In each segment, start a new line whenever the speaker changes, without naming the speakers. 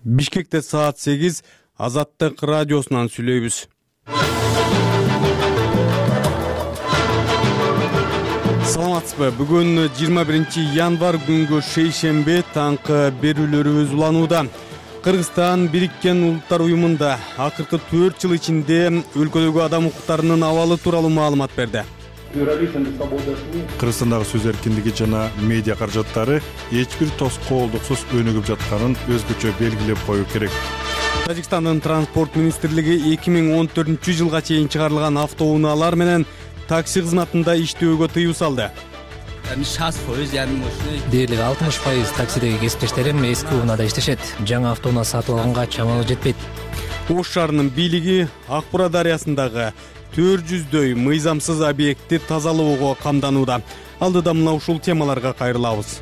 Бишкекте саат 8 Азаттык радиосунан сүйлөйбүз. Саламатсызбы? Бүгүн 21 январь күнгө шейшембе таңкы берүүлөрүбүз уланууда. Кыргызстан Бириккен Улуттар уюмунда акыркы 4 жыл ичинде өлкөдөгү адам укуктарынын абалы тууралуу маалымат берди.
Кыргызстандагы сөз эркиндиги жана медиа каражаттары эч бир тоскоолдуксуз өнүгүп жатканын өзгөчө белгилеп коюу керек.
Тажикстандын транспорт министрлиги 2014 жылга чейин чыгарылган автоунаалар менен такси кызматында иштөөгө тыюу салды.
Дээрлик 60% таксидеги кесиптештерим эски унаада иштешет. Жаңы автоунаа сатып алганга чамалы жетпейт.
Ош шаарынын бийлиги Ак Бура дарыясындагы 400дөй мыйзамсыз объектти тазалоого камданууда. Алдыда мына ушул темаларга кайрылабыз.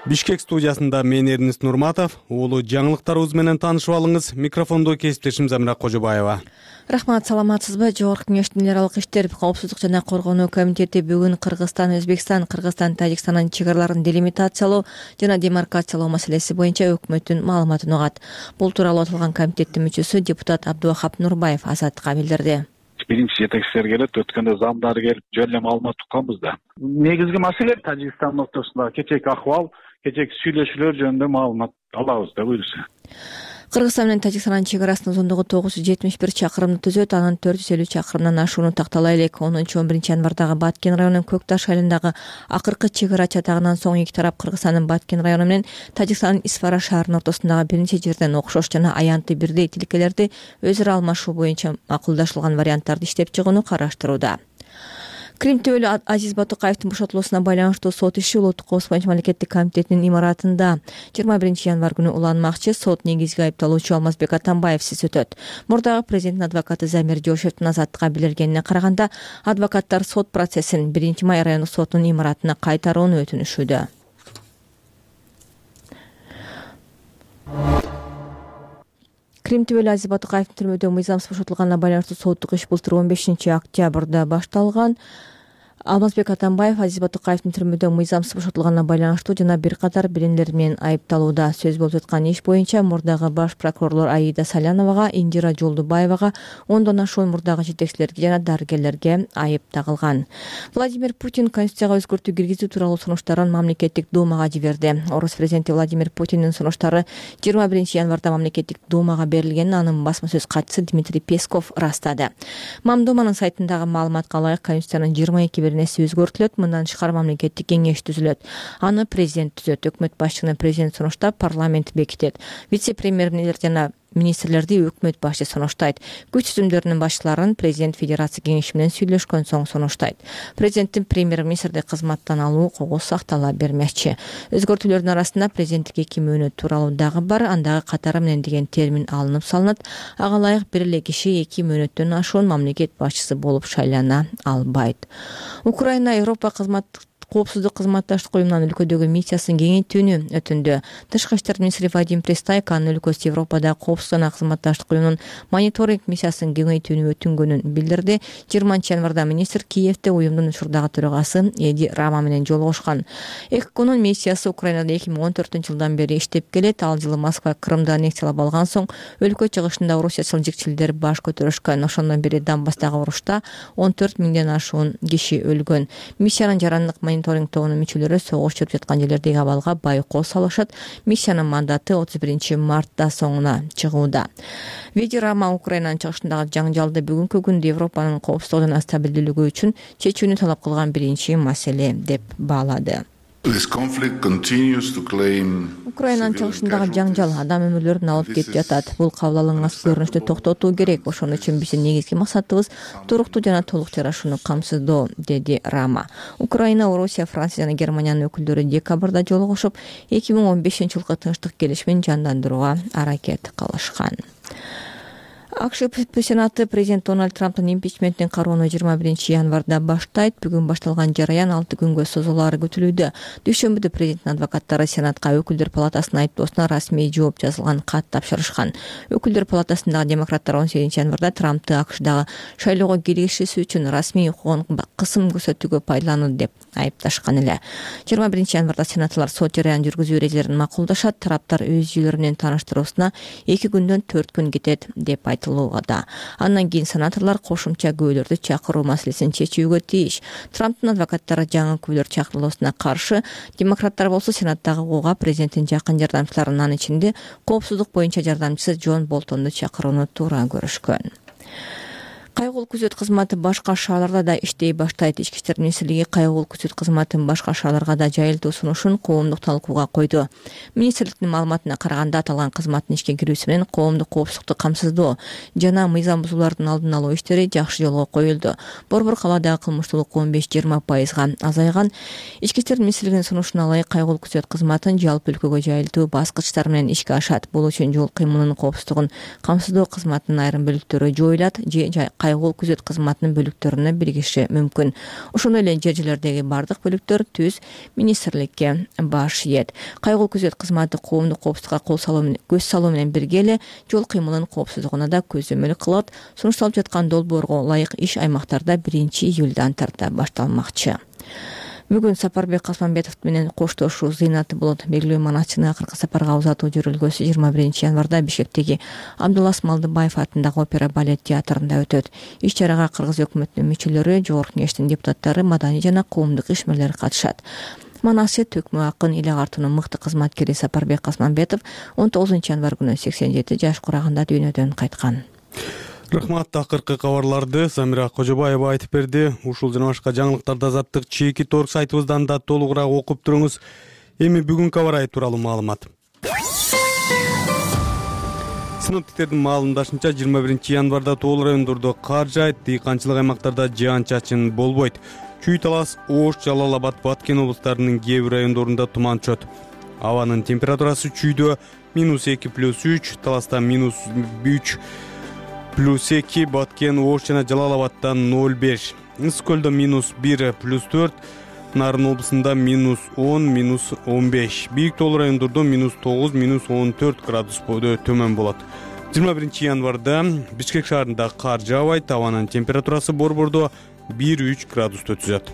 Бишкек студиясында мен Эрнис Нурматов, улуу жаңылыктарыбыз менен таанышып алыңыз. Микрофондо кесиптешим Замира Кожобаева.
Рахмат, саламатсызбы? Жогорку Кеңештин эл аралык иштер, коопсуздук жана коргонуу комитети бүгүн Кыргызстан, Өзбекстан, Кыргызстан, Тажикстандын чек араларын делимитациялоо жана демаркациялоо маселеси боюнча өкмөттүн маалыматын угат. Бул тууралуу аталган комитеттин мүчөсү депутат Абдувахап Нурбаев Азаттыкка билдирди.
Биринчи жетекчилер келет, өткөндө замдары келип жөн эле маалымат укканбыз да. Негизги маселе Тажикстан ортосундагы кечээки акыбал, кечээки сүйлөшүүлөр жөнүндө маалымат алабыз да буюрса.
Кыргызстан менен Тажикстандын чек арасынын узундугу 971 чакырымды түзөт, анын 450 чакырымдан ашууну тактала элек. 10-11 январдагы Баткен районунун Көкташ айылындагы акыркы чек ара чатагынан соң эки тарап Кыргызстандын Баткен району менен Тажикстандын Исфара шаарынын ортосундагы биринчи жерден окшош жана аянты бирдей тилкелерди өзү ара алмашуу боюнча макулдашылган варианттарды иштеп чыгууну караштырууда. Крим төбөлү Азиз Батукаевдин бошотулуусуна байланыштуу сот иши Улуттук коопсуздук боюнча мамлекеттик комитетинин имаратында 21 январь күнү уланмакчы. Сот негизги айыпталуучу Алмазбек Атамбаевсиз өтөт. Мурдагы президенттин адвокаты Замир Жошевдин Азаттыкка билдиргенине караганда, адвокаттар сот процессин 1 май райондук сотунун имаратына кайтарууну өтүнүшүүдө. Крим төбөлү Азиз Батукаевдин түрмөдө мыйзамсыз бошотулганына байланыштуу соттук иш былтыр 15 октябрда башталган. Алмазбек Атамбаев Азиз Батукаевдин түрмөдө мыйзамсыз бошотулганына байланыштуу жана бир катар билимдер менен айыпталууда. Сөз болуп жаткан иш боюнча мурдагы баш прокурорлор Аида Саляновага, Индира Жолдубаевага, 10дон ашуун мурдагы жетекчилерге жана дарыгерлерге айып тагылган. Владимир Путин Конституцияга өзгөртүү киргизүү тууралуу сунуштарын мамлекеттик думага жиберди. Орус президенти Владимир Путиндин сунуштары 21 январда мамлекеттик думага берилгенин анын басма сөз катчысы Дмитрий Песков ырастады. Мамдуманын сайтындагы маалыматка ылайык Конституциянын 22 нерсе өзгөртүлөт. Мындан тышкары мамлекеттик кеңеш түзүлөт. Аны президент түзөт. Өкмөт башчыны президент сунуштап, парламент бекитет. Вице-премьер жана министрлерди өкмөт башчы сунуштайт. Күч түзүмдөрүнүн башчыларын президент федерация кеңеши менен сүйлөшкөн соң сунуштайт. Президенттин премьер-министрди кызматтан алуу укугу сактала бермекчи. Өзгөртүүлөрдүн арасында президенттик 2 мөөнөт тууралуу дагы бар. Андагы катары менен деген термин алынып салынат. Ага ылайык бир эле киши 2 мөөнөттөн ашуун мамлекет башчысы болуп шайлана албайт. Украина Европа коопсуздук кызматташтык уюмунун өлкөдөгү миссиясын кеңейтүүнү өтүндү. Тышкы иштер министри Вадим Пристайко анын өлкөсү Европада коопсуздук жана кызматташтык уюмунун мониторинг миссиясын кеңейтүүнү өтүнгөнүн билдирди. 20 январда министр Киевде уюмдун учурдагы төрагасы Эди Рама менен жолугушкан. ЭККнун миссиясы Украинада 2014 жылдан бери иштеп келет. Ал жылы Москва Крымды аннексиялап алган соң өлкө чыгышында Орусия сылжыкчилдери баш көтөрүшкөн. Ошондон бери Донбасстагы урушта 14 миңден ашуун киши өлгөн. Миссиянын жарандык мониторинг тобунун мүчөлөрү согуш жүрүп жаткан жерлердеги абалга байкоо салышат. Миссиянын мандаты 31 мартта соңуна чыгууда. Эди Рама Украинанын чыгышындагы жаңжалды бүгүнкү күндө Европанын коопсуздугу жана стабилдүүлүгү үчүн чечүүнү талап кылган биринчи маселе деп баалады. Украинанын чыгышындагы жаңжал адам өмүрлөрүн алып кетип жатат. Бул кабыл алынган көрүнүштү токтотуу керек. Ошон үчүн биздин негизги максатыбыз туруктуу жана толук жарашууну камсыздоо, деди Рама. Украина, Орусия, Франция жана Германиянын өкүлдөрү декабрда жолугушуп, 2015 жылкы тынчтык келишимин жандандырууга аракет кылышкан. АКШ Сенаты президент Дональд Трамптын импичментин кароону 21 январда баштайт. Бүгүн башталган жараян 6 күнгө созулаары күтүлүүдө. Дүйшөмбүдө президенттин адвокаттары Сенатка Өкүлдөр палатасынын айыптоосуна расмий жооп жазылган кат тапшырышкан. Өкүлдөр палатасындагы демократтар 18 январда Трампты АКШдагы шайлоого киришиси үчүн расмий укугун кысым көрсөтүүгө пайдаланды деп айыпташкан эле. 21 январда сенаторлор сот жараянын жүргүзүү эрежелерин макулдашат. Тараптар өз жүйөлөрү менен тааныштыруусуна 2 күндөн 4 күн кетет деп айтылууда. Андан кийин сенаторлор кошумча күбөлөрдү чакыруу маселесин чечүүгө тийиш. Трамптын адвокаттары жаңы күбөлөр чакырылуусуна каршы, демократтар болсо Сенаттагы укуга президенттин жакын жардамчыларын, анын ичинде коопсуздук боюнча жардамчысы Джон Болтонду чакырууну туура көрүшкөн. Кайгылуу күзөт кызматы башка шаарларда да иштей баштайт. Ички иштер министрлиги кайгылуу күзөт кызматын башка шаарларга да жайылтуу сунушун коомдук талкууга койду. Министрликтин маалыматына караганда, аталган кызматтын ишке кирүүсү менен коомдук коопсуздукту камсыздоо жана мыйзам бузуулардын алдын алуу иштери жакшы жолго коюлду. Борбор калаадагы кылмыштуулук 15-20% азайган. Ички иштер министрлигинин сунушуна ылайык кайгылуу күзөт кызматын жалпы өлкөгө жайылтуу баскычтар менен ишке ашат. Бул үчүн жол кыймылынын коопсуздугун камсыздоо кызматынын айрым бөлүктөрү жоюлат же кайгылуу күзөт кызматынын бөлүктөрүнө биригиши мүмкүн. Ошондой эле жер-жерлердеги бардык бөлүктөр түз министрликке баш ийет. Кайгылуу күзөт кызматы коомдук коопсуздукка көз салуу менен бирге эле жол кыймылынын коопсуздугуна да көзөмөл кылат. Сунушталып жаткан долбоорго ылайык иш аймактарда 1-июлдан тарта башталмакчы. Бүгүн Сапарбек Касманбетов менен коштошуу зыйнаты болот. Белгилүү манасчыны акыркы сапарга узатуу жүрүлгөсү 21 январда Бишкектеги Абдулас Малдыбаев атындагы опера балет театрында өтөт. Иш чарага кыргыз өкмөтүнүн мүчөлөрү, Жогорку Кеңештин депутаттары, маданий жана коомдук ишмерлер катышат. Манасчы төкмө акын Ил агартуунун мыкты кызматкери Сапарбек Касманбетов 19 январ күнү 87 жаш курагында дүйнөдөн кайткан.
Рахмат. Акыркы кабарларды Самира Кожобаева айтып берди. Ушул жана башка жаңылыктарды Азаттык чеки торг сайтыбыздан да толугураак окуп туруңуз. Эми бүгүнкү аба ырайы тууралуу маалымат. Синоптиктердин маалымдашынча 21 январда тоол райондордо кар жаайт, дыйканчылык аймактарда жаан-чачын болбойт. Чүй Талас, Ош, Жалал Абад, Баткен облустарынын кээ бир райондорунда туман түшөт. Абанын температурасы чүйдө -2+3, Таласта -3+2, Баткен, Ош жана Жалал Абадтан 0,5. Ысык көлдө -1+4, Нарын облусунда -10, -15. Бийик тоол райондордо -9, -14 градус төмөн болот. 21 январда Бишкек шаарында кар жаабайт, абанын температурасы борбордо 1-3 градусту түзөт.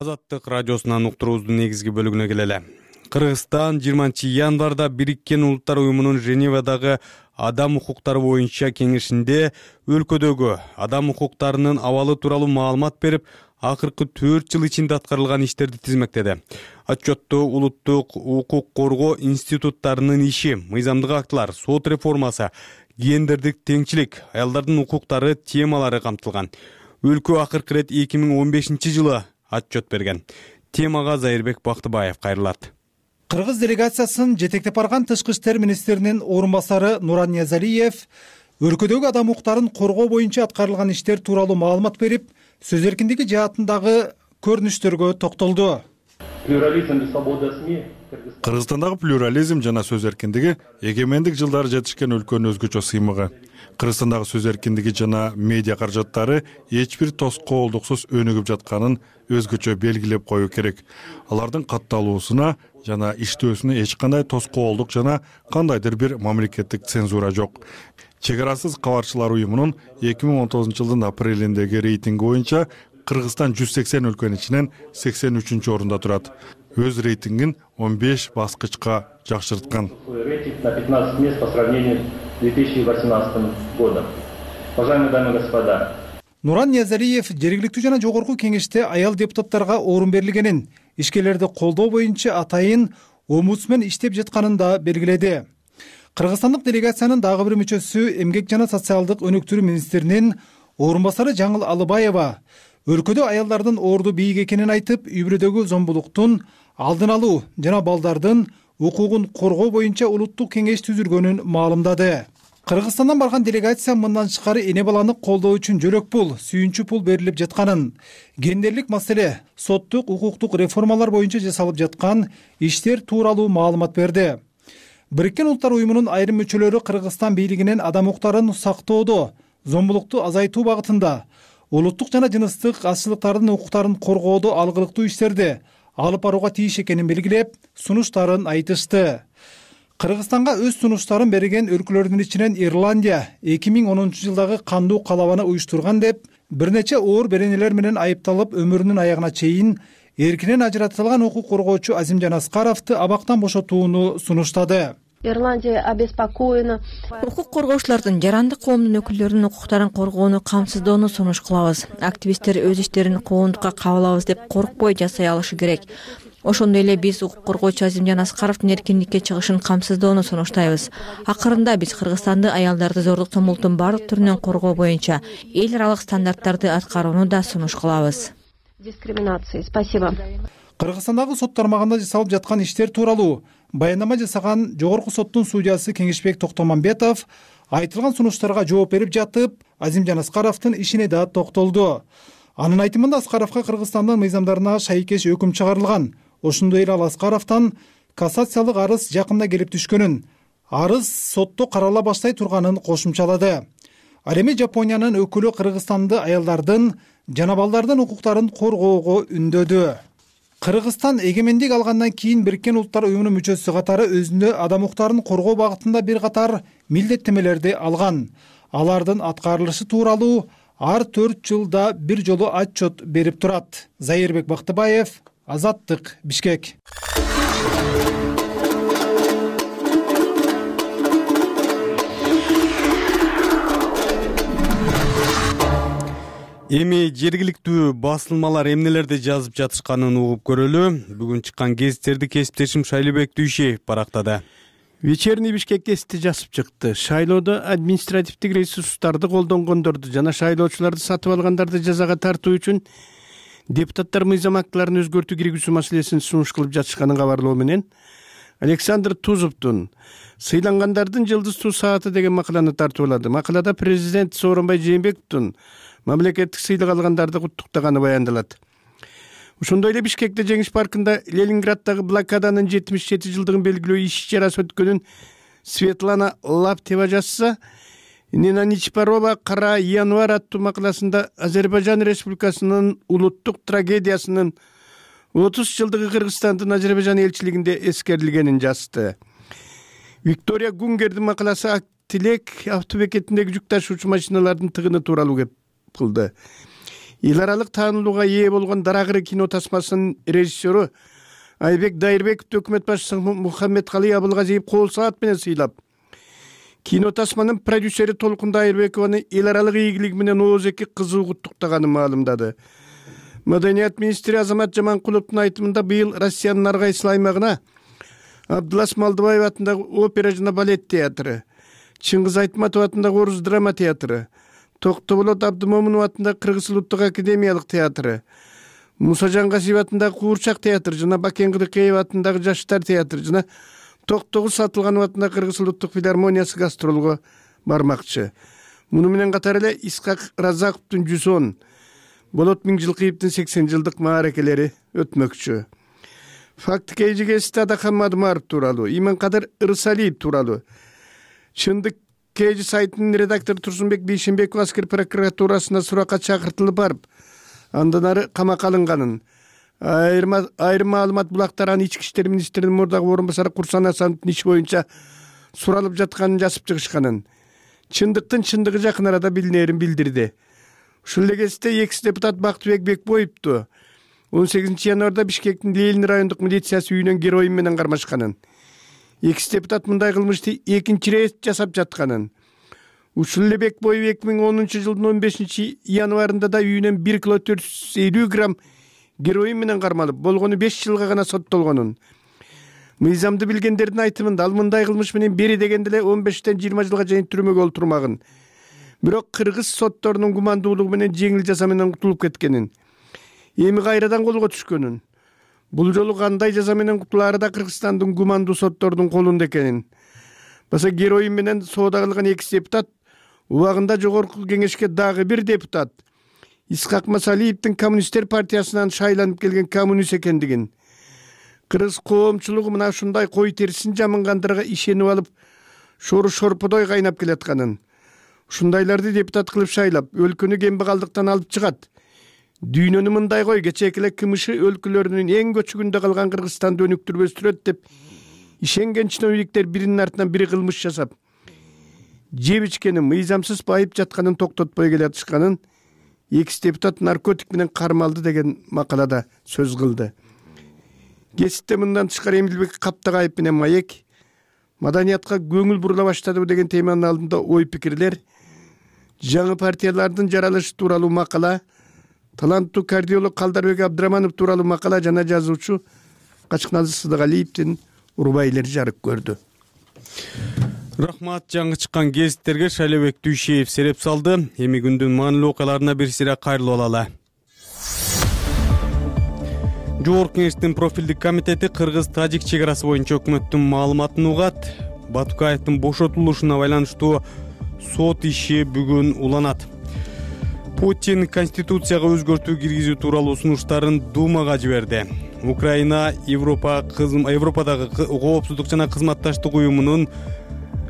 Азаттык радиосунан уктуруубуздун негизги бөлүгүнө келели. Кыргызстан 20 январда Бириккен Улуттар уюмунун Женевадагы адам укуктары боюнча кеңешинде өлкөдөгү адам укуктарынын абалы тууралуу маалымат берип, акыркы 4 жыл ичинде аткарылган иштерди тизмектеди. Отчётту улуттук укук коргоо институттарынын иши, мыйзамдык актылар, сот реформасы, гендердик теңчилик, аялдардын укуктары темалары камтылган. Өлкө акыркы ирет 2015 жылы отчёт берген. Темага Зайырбек Бактыбаев кайрылат.
Кыргыз делегациясын жетектеп барган тышкы иштер министринин орун басары Нуран Ниязалиев өлкөдөгү адам укуктарын коргоо боюнча аткарылган иштер тууралуу маалымат берип, сөз эркиндиги жаатындагы көрүнүштөргө токтолду.
Кыргызстандагы плюрализм жана сөз эркиндиги эгемендик жылдары жетишкен өлкөнүн өзгөчө сыймыгы. Кыргызстандагы сөз эркиндиги жана медиа каражаттары эч бир тоскоолдуксуз өнүгүп жатканын өзгөчө белгилеп коюу керек. Алардын катталуусуна жана иштөөсүнө эч кандай тоскоолдук жана кандайдыр бир мамлекеттик цензура жок. Чек арасыз кабарчылар уюмунун 2019 жылдын апрелиндеги рейтинги боюнча Кыргызстан 180 өлкөнүн ичинен 83 орунда турат. Өз рейтингин 15 баскычка жакшырткан.
Рейтинг на 15 мест по сравнению с 2018 годом. Уважаемые дамы и господа.
Нуран Ниязалиев жергиликтүү жана жогорку кеңеште аял депутаттарга орун берилгенин, ишкерлерди колдоо боюнча атайын омбудсмен иштеп жатканын да белгиледи. Кыргызстандык делегациянын дагы бир мүчөсү эмгек жана социалдык өнүктүрүү министринин орун басары Жаңыл Алыбаева өлкөдө аялдардын орду бийик экенин айтып, үй бүлөдөгү зомбулуктун алдын алуу жана балдардын укугун коргоо боюнча улуттук кеңеш түзүлгөнүн маалымдады. Кыргызстандан барган делегация мындан тышкары эне баланы колдоо үчүн жөлөк пул, сүйүнчү пул берилип жатканын, гендерлик маселе, соттук, укуктук реформалар боюнча жасалып жаткан иштер тууралуу маалымат берди. Бириккен Улуттар уюмунун айрым мүчөлөрү Кыргызстан бийлигинен адам укуктарын сактоодо, зомбулукту азайтуу багытында, улуттук жана жыныстык азчылыктардын укуктарын коргоодо алгылыктуу иштерди алып барууга тийиш экенин белгилеп, сунуштарын айтышты. Кыргызстанга өз сунуштарын берген өлкөлөрдүн ичинен Ирландия 2010 жылдагы кандуу калабаны уюштурган деп, бир нече оор беренелер менен айыпталып, өмүрүнүн аягына чейин эркинен ажыратылган укук коргоочу Азимжан Аскаровду абактан бошотууну сунуштады.
Ирландия обеспокоена.
Укук коргоочулардын жарандык коомдун өкүлдөрүнүн укуктарын коргоону камсыздоону сунуш кылабыз. Активисттер өз иштерин коомдукка кабыл алабыз деп коркпой жасай алышы керек. Ошондой эле биз укук коргоочу Азимжан Аскаровдун эркиндикке чыгышын камсыздоону сунуштайбыз. Акырында биз Кыргызстанды аялдарды зордук зомбулуктун бардык түрүнөн коргоо боюнча эл аралык стандарттарды аткарууну да сунуш кылабыз.
Дискриминации. Спасибо.
Кыргызстандагы сот тармагында жасалып жаткан иштер тууралуу баяндама жасаган Жогорку соттун судьясы Кеңешбек Токтомамбетов айтылган сунуштарга жооп берип жатып, Азимжан Аскаровдун ишине да токтолду. Анын айтымында Аскаровго Кыргызстандын мыйзамдарына шайкеш өкүм чыгарылган. Ошондой эле ал Аскаровдон кассациялык арыз жакында келип түшкөнүн, арыз сотто карала баштай турганын кошумчалады. Ал эми Жапониянын өкүлү Кыргызстанды аялдардын жана балдардын укуктарын коргоого үндөдү. Кыргызстан эгемендик алгандан кийин Бириккен Улуттар уюмунун мүчөсү катары өзүндө адам укуктарын коргоо багытында бир катар милдеттенмелерди алган. Алардын аткарылышы тууралуу ар 4 жылда бир жолу отчет берип турат. Зайырбек Бактыбаев, Азаттык, Бишкек.
Эми жергиликтүү басылмалар эмнелерди жазып жатышканын угуп көрөлү. Бүгүн чыккан гезиттерди кесиптешим Шайлыбек Дүйшеев барактады.
Вечерний Бишкек гезити жазып чыкты. Шайлоодо административдик ресурстарды колдонгондорду жана шайлоочуларды сатып алгандарды жазага тартуу үчүн депутаттар мыйзам актыларын өзгөртүү киргизүү маселесин сунуш кылып жатышканын кабарлоо менен Александр Тузовдун «Сыйлангандардын жылдыздуу сааты» деген макаланы тартуулады. Макалада президент Сооронбай Жээнбековдун мамлекеттик сыйлык алгандарды куттуктаганы баяндалат. Ошондой эле Бишкекте Жеңиш паркында Ленинграддагы блокаданын 77 жылдыгын белгилөө иш-чарасы өткөнүн Светлана Лаптева жазса, Нина Ничпарова «Кара январь» аттуу макаласында Азербайжан Республикасынын улуттук трагедиясынын 30 жылдыгы Кыргызстандын Азербайжан элчилигинде эскерилгенин жазды. Виктория Гунгердин макаласы Актилек автобекетиндеги жүк ташуучу машиналардын тыгыны тууралуу кеп кылды. Эл аралык таанылууга ээ болгон Дарагыры кино тасмасынын режиссеру Айбек Дайырбековду өкмөт башчысы Мухаммедкалый Абылгазиев кол саат менен сыйлап, кино тасманын продюсери Толкун Дайырбекованы эл аралык ийгилиги менен ооз-эки кызуу куттуктаганын маалымдады. Маданият министри Азамат Жаманкуловдун айтымында быйыл Россиянын ар кайсы аймагына Абдулас Малдыбаев атындагы опера жана балет театры, Чыңгыз Айтматов атындагы Орус драма театры, Токтоболот Абдымомунов атындагы Кыргыз улуттук академиялык театры, Муса Жангасиев атындагы Куурчак театры жана Бакен Кыдыкеев атындагы Жаштар театры жана Токтогуз Сатылганов атындагы Кыргыз улуттук филармониясы гастролго бармакчы. Муну менен катар эле Исхак Разаковдун 110, Болот Миңжилкиевдин 80 жылдык мааракелери өтмөкчү. Факт KGG'сте Адахан Мадумаров тууралуу, Иманкадыр Ырысалиев тууралуу, Чындык KG сайтынын редактору Турсунбек Бейшенбеков аскер прокуратурасына суракка чакыртылып барып, андан ары камакка алынганын, айрым маалымат булактарынын ички иштер министринин мурдагы орун басары Курсан Асановдун иш боюнча суралып жатканын жазып чыгышканын, чындыктын чындыгы жакын арада билинерин билдирди. Ушул эле кезде экс депутат Бактыбек Бекбоевду 18 январда Бишкектин Ленин райондук милициясы үйүнөн героин менен кармашканын, экс депутат мындай кылмышты экинчи рет жасап жатканын, ушул эле Бекбоев 2010 жылдын 15 январында да үйүнөн 1 кило 450 грамм героин менен кармалып, болгону 5 жылга гана соттолгонун, мыйзамды билгендердин айтымында ал мындай кылмыш менен бери дегенде эле 15-тен 20 жылга чейин түрмөгө олтурмагын, бирок кыргыз сотторунун гумандуулугу менен жеңил жаза менен кутулуп кеткенин, эми кайрадан колго түшкөнүн, бул жолу кандай жаза менен кутулаары да Кыргызстандын гумандуу сотторунун колунда экенин, баса героин менен соода кылган экс депутат убагында жогорку кеңешке дагы бир депутат Исхак Масалиевдин Коммунисттер партиясынан шайланып келген коммунист экендигин, Кыргыз коомчулугу мына ушундай кой терисин жамынгандырга ишенип алып, шору шорподой кайнап келатканын, ушундайларды депутат кылып шайлап, өлкөнү кембагалдыктан алып чыгат. Дүйнөнү мындай кой, кечээки эле КМШ өлкөлөрүнүн эң көчүгүндө калган Кыргызстанды өнүктүрбөстүрөт деп ишенген чиновниктер биринин артынан бири кылмыш жасап, жеп ичкени мыйзамсыз байып жатканын токтотпой келатышканын экс депутат наркотик менен кармалды деген макалада сөз кылды. Кесипте мындан тышкары Эмилбек Каптагаев менен Маек маданиятка көңүл бурула баштадыбы деген теманын алдында ой пикирлер, жаңы партиялардын жаралышы тууралуу макала, таланттуу кардиолог Калдарбек Абдыраманов тууралуу макала жана жазуучу Качкназы Сыдыгалиевдин урбайлери жарык көрдү.
Рахмат, жаңы чыккан гезиттерге Шайлообек Дүйшеев сереп салды. Эми күндүн маанилүү окуяларына бир сире кайрылып алалы. Жогорку Кеңештин профилдик комитети Кыргыз-Тажик чек арасы боюнча өкмөттүн маалыматын угат. Батукаевдин бошотулушуна байланыштуу сот иши бүгүн уланат. Путин Конституцияга өзгөртүү киргизүү тууралуу сунуштарын Думага жиберди. Украина Европадагы коопсуздук жана кызматташтык уюмунун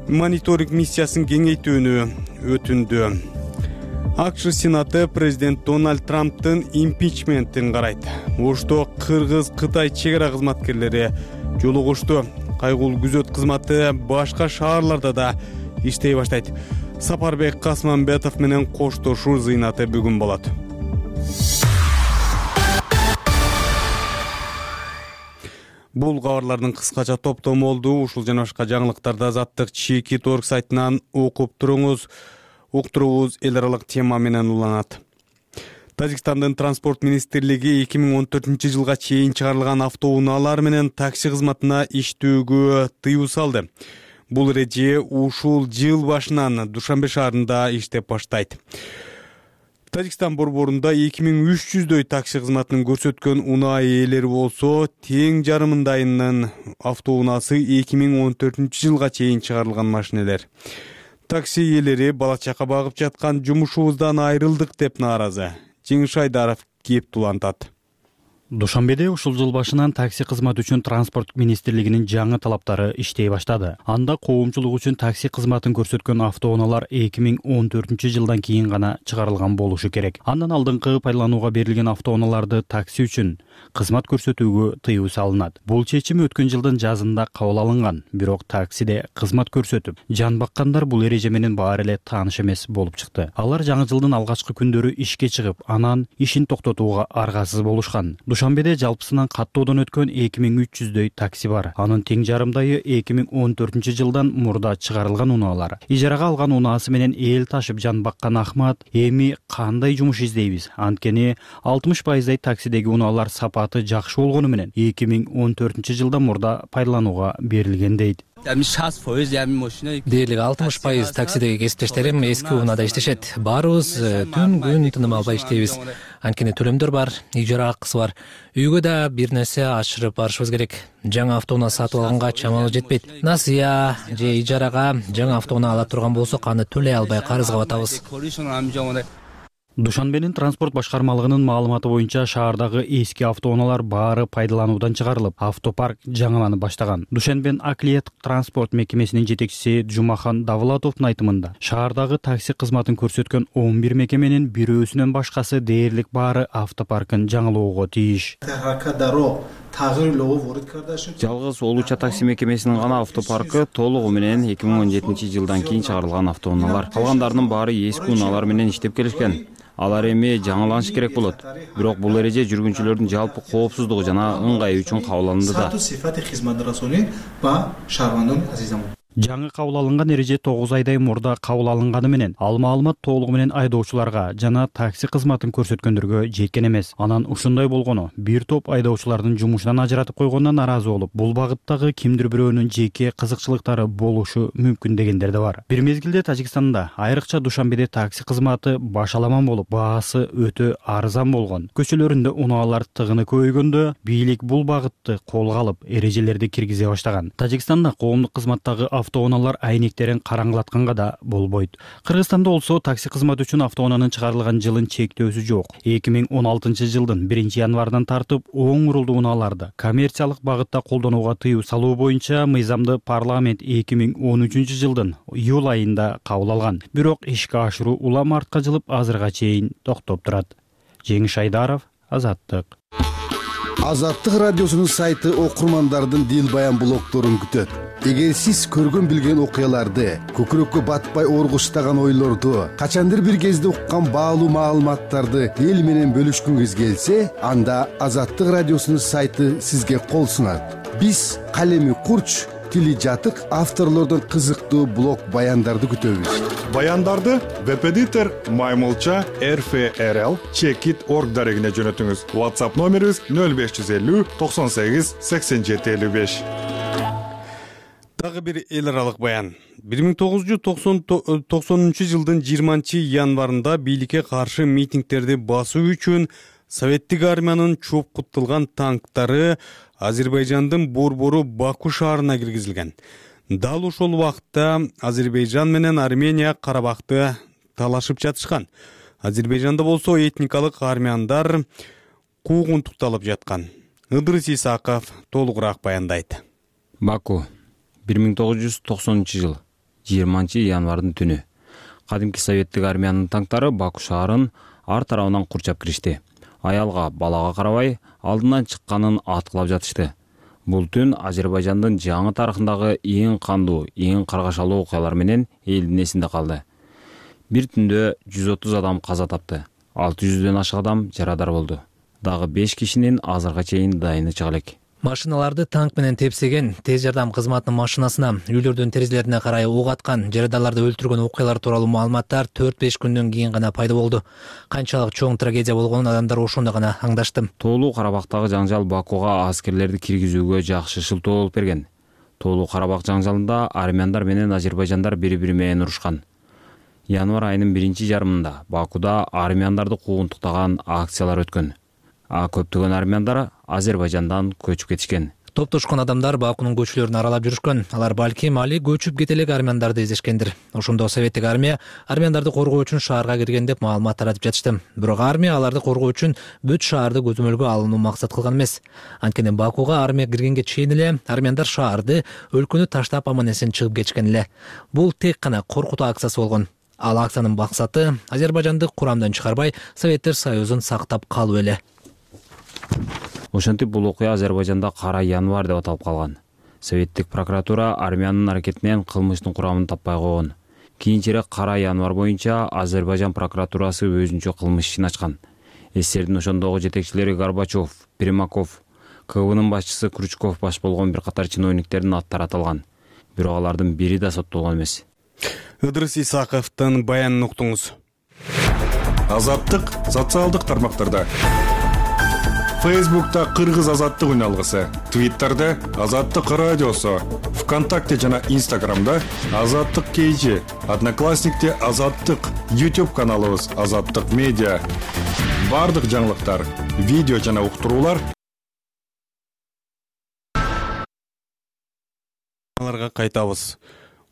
мониторинг миссиясын кеңейтүүнү өтүндү. АКШ Сенаты президент Дональд Трамптын импичментин карайт. Ошто Кыргыз-Кытай чек ара кызматкерлери жолугушту. Кайгулуу күзөт кызматы башка шаарларда да иштей баштайт. Сапарбек Касманбетов менен коштошуу зыйнаты бүгүн болот. Бул кабарлардын кыскача топтому болду. Ушул жана башка жаңылыктарды Азаттык Чекит.org сайтынан окуп туруңуз. Уктуруубуз эл аралык тема менен уланат. Тажикстандын транспорт министрлиги 2014 жылга чейин чыгарылган автоунаалар менен такси кызматына иштөөгө тыюу салды. Бул эреже ушул жыл башынан Душанбе шаарында иштеп баштайт. Тажикстан борборунда 2300дөй такси кызматын көрсөткөн унаа ээлери болсо, тең жарымындайынын автоунаасы 2014 жылга чейин чыгарылган машинелер. Такси ээлери бала чака багып жаткан жумушубуздан айрылдык деп нааразы. Жеңиш Айдаров кеп тулантат.
Душанбеде ушул жыл башынан такси кызматы үчүн транспорт министрлигинин жаңы талаптары иштей баштады. Анда коомчулук үчүн такси кызматын көрсөткөн автоунаалар 2014 жылдан кийин гана чыгарылган болушу керек. Андан алдыңкы пайдаланууга берилген автоунааларды такси үчүн кызмат көрсөтүүгө тыюу салынат. Бул чечим өткөн жылдын жазында кабыл алынган, бирок таксиде кызмат көрсөтүп жан баккандар бул эреже менен баары эле тааныш эмес болуп чыкты. Алар жаңы жылдын алгачкы күндөрү ишке чыгып, анан ишин токтотууга аргасыз болушкан. Душанбеде жалпысынан каттоодон өткөн 2300дөй такси бар. Анын тең жарымдайы 2014 жылдан мурда чыгарылган унаалар. Ижарага алган унаасы менен эл ташып жан баккан Ахмат эми кандай жумуш издейбиз? Анткени 60% таксидеги унаалар сапаты жакшы болгону менен 2014 жылдан мурда пайдаланууга берилген дейт.
Дээрлик 60% таксидеги кесиптештерим эски унаада иштешет. Баарыбыз түн күн тыным албай иштейбиз. Анткени төлөмдөр бар, ижара акысы бар. Үйгө да бир нерсе ашырып барышыбыз керек. Жаңы автоунаа сатып алганга чамалы жетпейт. Насыя же ижарага жаңы автоунаа ала турган болсок, аны төлөй албай карызга батабыз.
Душанбенин транспорт башкармалыгынын маалыматы боюнча шаардагы эски автоунаалар баары пайдалануудан чыгарылып, автопарк жаңыланып баштаган. Душанбен Аклиет транспорт мекемесинин жетекчиси Жумахан Давлатовдун айтымында, шаардагы такси кызматын көрсөткөн 11 мекеменин бирөөсүнөн башкасы дээрлик баары автопаркын жаңылоого тийиш.
Жалгыз Олуча такси мекемесинин гана автопаркы толугу менен 2017 жылдан кийин чыгарылган автоунаалар. Калгандарынын баары эски унаалар менен иштеп келишкен. Алар эми жаңыланыш керек болот. Бирок бул эреже жүргүнчүлөрдүн жалпы коопсуздугу жана ыңгайы үчүн кабыл алынды да.
Жаңы кабыл алынган эреже 9 айдай мурда кабыл алынганы менен ал маалымат толугу менен айдоочуларга жана такси кызматын көрсөткөндөргө жеткен эмес. Анан ушундай болгону бир топ айдоочулардын жумушунан ажыратып койгонуна нааразы болуп, бул багыттагы кимдир бирөөнүн жеке кызыкчылыктары болушу мүмкүн дегендер да бар. Бир мезгилде Тажикстанда, айрыкча Душанбеде такси кызматы башаламан болуп, баасы өтө арзан болгон. Көчөлөрүндө унаалар тыгыны көбөйгөндө бийлик бул багытты колго алып, эрежелерди киргизе баштаган. Тажикстанда коомдук кызматтагы автоунаалар айнектерин караңгылатканга да болбойт. Кыргызстанда болсо такси кызматы үчүн автоунаанын чыгарылган жылын чектөөсү жок. 2016 жылдын 1 январынан тартып оң урулдуу унааларды коммерциялык багытта колдонууга тыюу салуу боюнча мыйзамды парламент 2013 жылдын июль айында кабыл алган. Бирок ишке ашыруу улам артка жылып азырга чейин токтоп турат. Жеңиш Айдаров, Азаттык.
Азаттык радиосунун сайты окурмандардын дил баян блогдорун күтөт. Эгер сиз көргөн билген окуяларды, көкүрөккө батпай оргуштаган ойлорду, качандыр бир кезде уккан баалуу маалыматтарды эл менен бөлүшкүңүз келсе, анда Азаттык радиосунун сайты сизге кол сунат. Биз калеми курч, тили жатык авторлордун кызыктуу блог баяндарды күтөбүз.
Баяндарды веб-эдитор Маймылча RFRL Checkit.org дарегине жөнөтүңүз. WhatsApp номерибиз 0550 98 87 55.
Дагы бир эл аралык баян. 1990 жылдын 20 январында бийликке каршы митингтерди басуу үчүн Советтик армиянын чопкуттулган танктары Азербайжандын борбору Баку шаарына киргизилген. Дал ошол убакытта Азербайжан менен Армения Карабакты талашып жатышкан. Азербайжанда болсо этникалык армяндар куугунтукталып жаткан. Ыдырыс Исаков толугураак баяндайт.
Баку 1990 жыл 20 январдын түнү кадимки советтик армиянын танктары Баку шаарын ар тарабынан курчап киришти. Аялга, балага карабай алдынан чыкканын аткылап жатышты. Бул түн Азербайжандын жаңы тарыхындагы эң кандуу, эң каргашалуу окуялар менен элдин эсинде калды. Бир түндө 130 адам каза тапты. 600дөн ашык адам жарадар болду. Дагы 5 кишинин азырга чейин дайыны чыга элек.
Машиналарды танк менен тепсеген, тез жардам кызматынын машинасына, үйлөрдүн терезелерине карай ок аткан, жараданларды өлтүргөн окуялар тууралуу маалыматтар 4-5 күндөн кийин гана пайда болду. Канчалык чоң трагедия болгонун адамдар ошондо гана аңдашты.
Тоолуу Карабактагы жаңжал Бакуга аскерлерди киргизүүгө жакшы шылтоо болуп берген. Тоолуу Карабак жаңжалында армяндар менен азербайжандар бири-бири менен урушкан. Январь айынын 1-жарымында Бакуда армяндарды куугунтуктаган акциялар өткөн. Көптөгөн армяндар Азербайжандан көчүп кетишкен.
Топтошкон адамдар Бакунун көчөлөрүн аралап жүрүшкөн. Алар балким али көчүп кетелек армяндарды издешкендир. Ошондо советтик армия армяндарды коргоо үчүн шаарга кирген деп маалымат таратып жатышты. Бирок армия аларды коргоо үчүн бүт шаарды көзөмөлгө алууну максат кылган эмес. Анткени Бакуга армия киргенге чейин эле армяндар шаарды, өлкөнү таштап аман-эсен чыгып кетишкен эле. Бул тек гана коркутуу акциясы болгон. Ал акциянын максаты Азербайжанды курамдан чыгарбай, Советтер Союзун сактап калуу эле.
Ошентип бул окуя Азербайжанда Кара январь деп аталып калган. Советтик прокуратура армиянын аракетинен кылмыштын курамын таппай койгон. Кийинчерээк Кара январь боюнча Азербайжан прокуратурасы өзүнчө кылмыш ишин ачкан. СССРдин ошондогу жетекчилери Горбачев, Примаков, КВнын башчысы Крючков баш болгон бир катар чиновниктердин аттары аталган. Бирок алардын бири да соттолгон эмес.
Ыдырыс Исаковдун баянын уктуңуз.
Азаттык социалдык тармактарда. Facebook'ta Кыргыз азаттык үналгысы, Twitter'da Азаттык радиосу, ВКонтакте жана Instagram'da Азаттык KG, Одноклассникте Азаттык, YouTube каналыбыз Азаттык медиа. Бардык жаңылыктар, видео жана уктуруулар
аларга кайтабыз.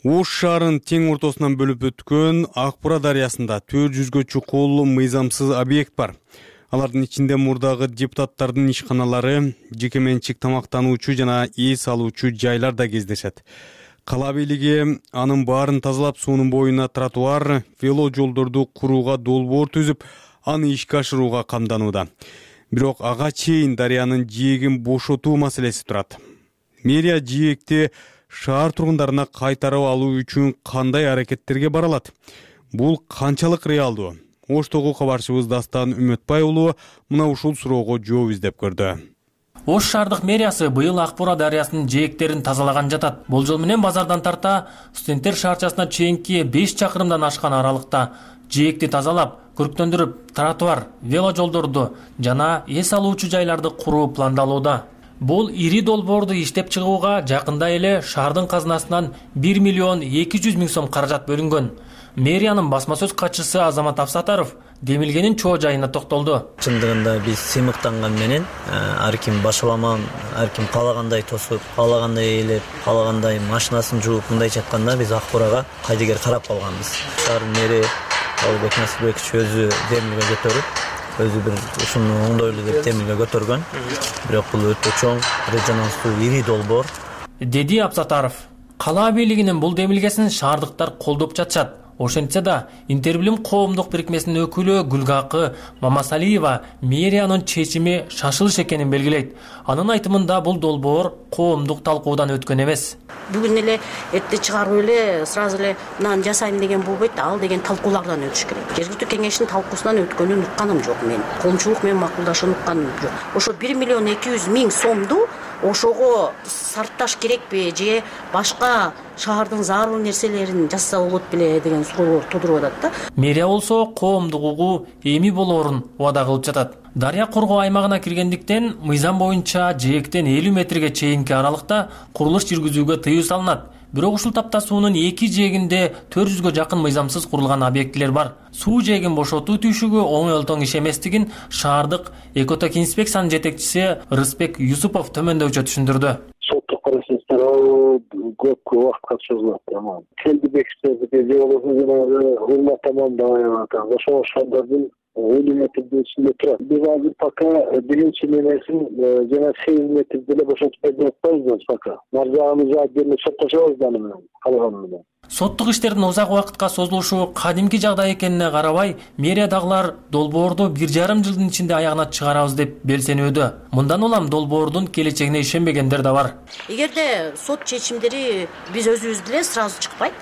Ош шаарын тең ортосунан бөлүп өткөн Акбура дарыясында 400гө чукул мыйзамсыз объект бар. Алардын ичинде мурдагы депутаттардын ишканалары, жеке менчик тамактануучу жана эс алуучу жайлар да кездешет. Кала бийлиги анын баарын тазалап, суунун боюна тротуар, вело жолдорду курууга долбоор түзүп, аны ишке ашырууга камданууда. Бирок ага чейин дарыянын жээгин бошотуу маселеси турат. Мэрия жээгти шаар тургундарына кайтарып алуу үчүн кандай аракеттерге бара алат? Бул канчалык реалдуу? Оштогу кабарчыбыз Дастан Үмөтбай уулу мына ушул суроого жооп издеп көрдү.
Ош шаардык мэриясы быйыл Акбура дарыясынын жээктерин тазалаган жатат. Болжол менен базардан тарта студенттер шаарчасына чейинки 5 чакырымдан ашкан аралыкта жээкти тазалап, көрктөндүрүп, тротуар, вело жолдорду жана эс алуучу жайларды куруу пландалууда. Бул ири долбоорду иштеп чыгууга жакында эле шаардын казынасынан 1 миллион 200 миң сом каражат бөлүнгөн. Мэриянын басма сөз катчысы Азамат Афсатаров демилгенин чоо жайына токтолду.
Чындыгында биз сыймыктанган менен ар ким башаламан, ар ким каалагандай тосуп, каалагандай ээлеп, каалагандай машинасын жууп, мындайча айтканда биз Акбурага кайдыгер карап калганбыз. Шаар мэри Албек Насырбекович өзү демилге көтөрүп, өзү бир ушуну оңдойлу деп демилге көтөргөн. Бирок бул өтө чоң, резонанстуу, ири долбоор,
деди Абсатаров. Кала бийлигинин бул демилгесин шаардыктар колдоп жатышат. Ошентсе да Интербилим коомдук бирикмесинин өкүлү Гүлгакы Мамасалиева мэриянын чечими шашылыш экенин белгилейт. Анын айтымында бул долбоор коомдук талкуудан өткөн эмес.
Бүгүн эле этти чыгарып эле сразу эле мынаны жасайм деген болбойт, ал деген талкуулардан өтүш керек. Жергиликтүү кеңештин талкуусунан өткөнүн укканым жок мен. Коомчулук менен макулдашууну укканым жок. Ошо 1 миллион 200 миң сомду ошого сарпташ керекпи же башка шаардын зарыл нерселерин жасаса болот беле деген суроолор тудуруп атат да.
Мэрия болсо коомдук угуу эми болоорун убада кылып жатат. Дарыя коргоо аймагына киргендиктен мыйзам боюнча жээктен 50 метрге чейинки аралыкта курулуш жүргүзүүгө тыюу салынат. Бирок ушул тапта суунун 2 жээгинде 400гө жакын мыйзамсыз курулган объектилер бар. Суу жээгин бошотуу түйшүгү оңой иш эместигин шаардык экотек инспекциянын жетекчиси Рыспек Юсупов төмөндөчө түшүндүрдү.
Соттук процесстер көп убакытка созулат. Келди бекиттерди же болбосо жанагы урмат тамамдаган ошол шаардардын 50 метрдин ичинде турат. Биз азыр пока биринчи нерсин жана 8 метр деле бошотуп берип атпайбыз пока. Маржаганы жаап берип соттошобуз аны менен, калганы менен.
Соттук иштердин узак убакытка созулушу кадимки жагдай экенине карабай, мэриядагылар долбоорду 1,5 жылдын ичинде аягына чыгарабыз деп белсенүүдө. Мындан улам долбоордун келечегине ишенбегендер да бар.
Эгерде сот чечимдери биз өзүбүз деле сразу чыкпайт.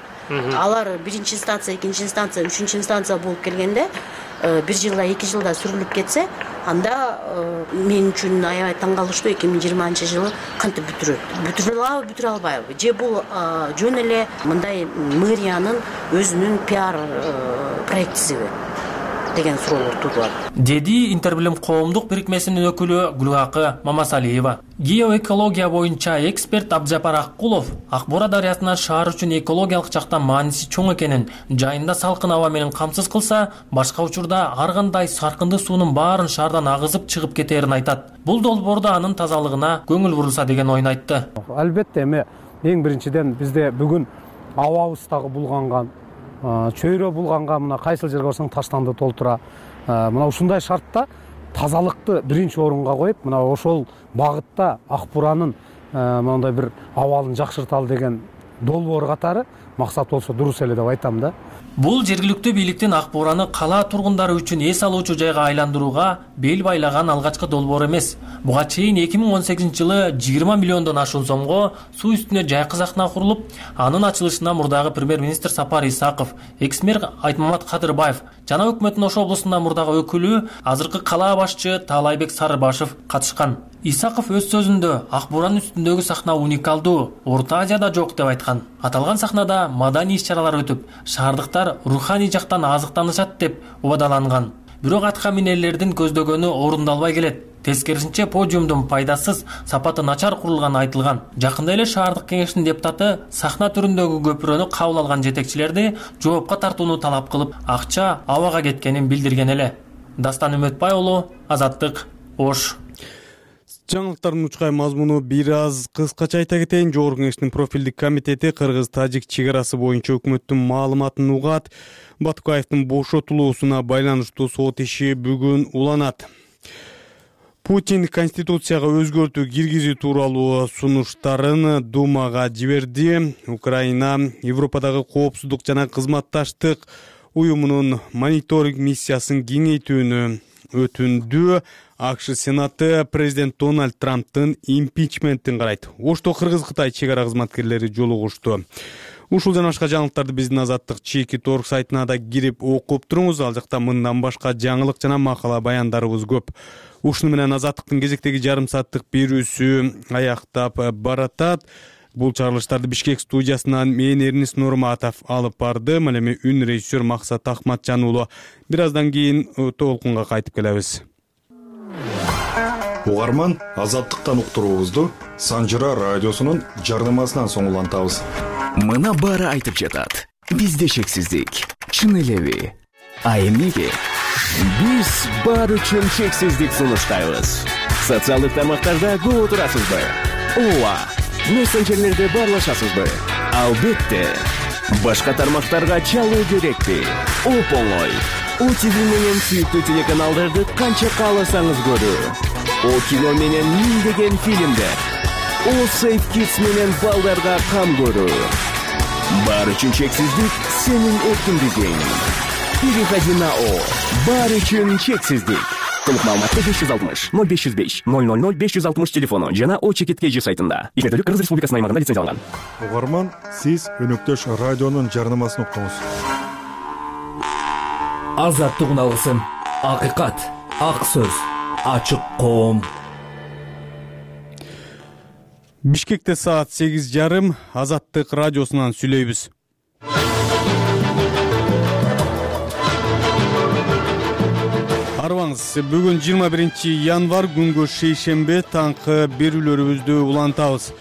Алар биринчи инстанция, экинчи инстанция, үчүнчү инстанция болуп келгенде 1 жылда 2 жылда сүрүлүп кетсе, анда мен үчүн аябай таң калыштуу 2020-жылы кантип бүтүрө албайбы же бул жөн эле мындай мэриянын өзүнүн пиар проектисиби деген суроолор туудурат,
деди Интербилим коомдук бирикмесинин өкүлү Гүлгакы Мамасалиева. Геоэкология боюнча эксперт Абдыжапар Аккулов Акбора дарыясына шаар үчүн экологиялык жактан мааниси чоң экенин, жайында салкын аба менен камсыз кылса, башка учурда ар кандай саркынды суунун баарын шаардан агызып чыгып кетээрин айтат. Бул долбоордо анын тазалыгына көңүл бурулса деген оюн айтты.
Албетте эми эң биринчиден бизде бүгүн абабыз дагы булганган, чөйрө булганга мына кайсыл жерге барсаң таштанды толтура. Мына ушундай шартта тазалыкты биринчи орунга коюп, мына ошол багытта Акбуранын мындай бир абалын жакшырталы деген долбоор катары максат болсо дурус эле деп айтам да.
Бул жергиликтүү бийликтин Акбураны кала тургундары үчүн эс алуучу жайга айландырууга бел байлаган алгачкы долбоор эмес. Буга чейин 2018-жылы 20 миллиондон ашуун сомго суу үстүнө жайкы сахна курулуп, анын ачылышына мурдагы премьер-министр Сапар Исаков, экс-мэр Айтмамат Кадырбаев жана өкмөттүн Ош облусунда мурдагы өкүлү, азыркы кала башчы Таалайбек Сарыбашев катышкан. Исаков өз сөзүндө Акбуранын үстүндөгү сахна уникалдуу, Орто Азияда жок деп айткан. Аталган сахнада маданий иш-чаралар өтүп, шаардыктар руханий жактан азыктанышат деп убадаланган. Бирок аткаминерлердин көздөгөнү орундалбай келет. Тескерисинче подиумдун пайдасыз, сапаты начар курулганы айтылган. Жакында эле шаардык кеңештин депутаты сахна түрүндөгү көпүрөнү кабыл алган жетекчилерди жоопко тартууну талап кылып, акча абага кеткенин билдирген эле. Дастан Үмөтбай уулу, Азаттык, Ош.
Жаңылыктардын учкай мазмуну бир аз кыскача айта кетейин. Жогорку кеңештин профилдик комитети кыргыз-тажик чек арасы боюнча өкмөттүн маалыматын угат. Батукаевдин бошотулуусуна байланыштуу сот иши бүгүн уланат. Путин Конституцияга өзгөртүү киргизүү тууралуу сунуштарын Думага жиберди. Украина Европадагы коопсуздук жана кызматташтык уюмунун мониторинг миссиясын кеңейтүүнү өтүндү. АКШ Сенаты президент Дональд Трамптын импичментин карайт. Ошто Кыргыз-Кытай чек ара кызматкерлери жолугушту. Ушул жана башка жаңылыктарды биздин Азаттык Чеки.org сайтына да кирип окуп туруңуз. Ал жакта мындан башка жаңылык жана макала баяндарыбыз көп. Ушуну менен Азаттыктын кезектеги жарым сааттык берүүсү аяктап баратат. Бул чыгарылыштарды Бишкек студиясынан мен Эрнис Нурматов алып барды. Ал эми үн режиссер Максат Ахматжан уулу. Бир аздан кийин толкунга кайтып келебиз.
Угарман Азаттыктан уктуруубузду Санжыра радиосунун жарнамасынан соң улантабыз.
Мына баары айтып жатат. Бизде шексиздик. чын элеби? А эмнеге? Биз баары үчүн чексиздик сунуштайбыз. Социалдык тармактарда көп отурасызбы? Ооба, мессенджерлерде баарлашасызбы? Албетте. Башка тармактарга чалуу керекпи? Оп-оңой. ОТВ менен сүйүктүү телеканалдарды канча кааласаңыз көрүү. О кино менен миңдеген фильмдер. О Safe Kids менен балдарга кам көрүү. Баары үчүн чексиздик сенин эркиндигиң. Переходи на О. Баары үчүн чексиздик. Толук маалыматты 560 0505 000 560 телефону жана O-Чекит.kg сайтында. Измердүүлүк Кыргыз Республикасынын аймагында лицензияланган.
Угарман, сиз өнөктөш радионун жарнамасын уктуңуз.
Азаттык алгысын. Акыйкат, ак сөз, ачык коом.
Бишкекте саат 8:30 Азаттык радиосунан сүйлөйбүз. Арбаңыз, бүгүн 21 январь күнгө шейшембе таңкы берүүлөрүбүздү улантабыз.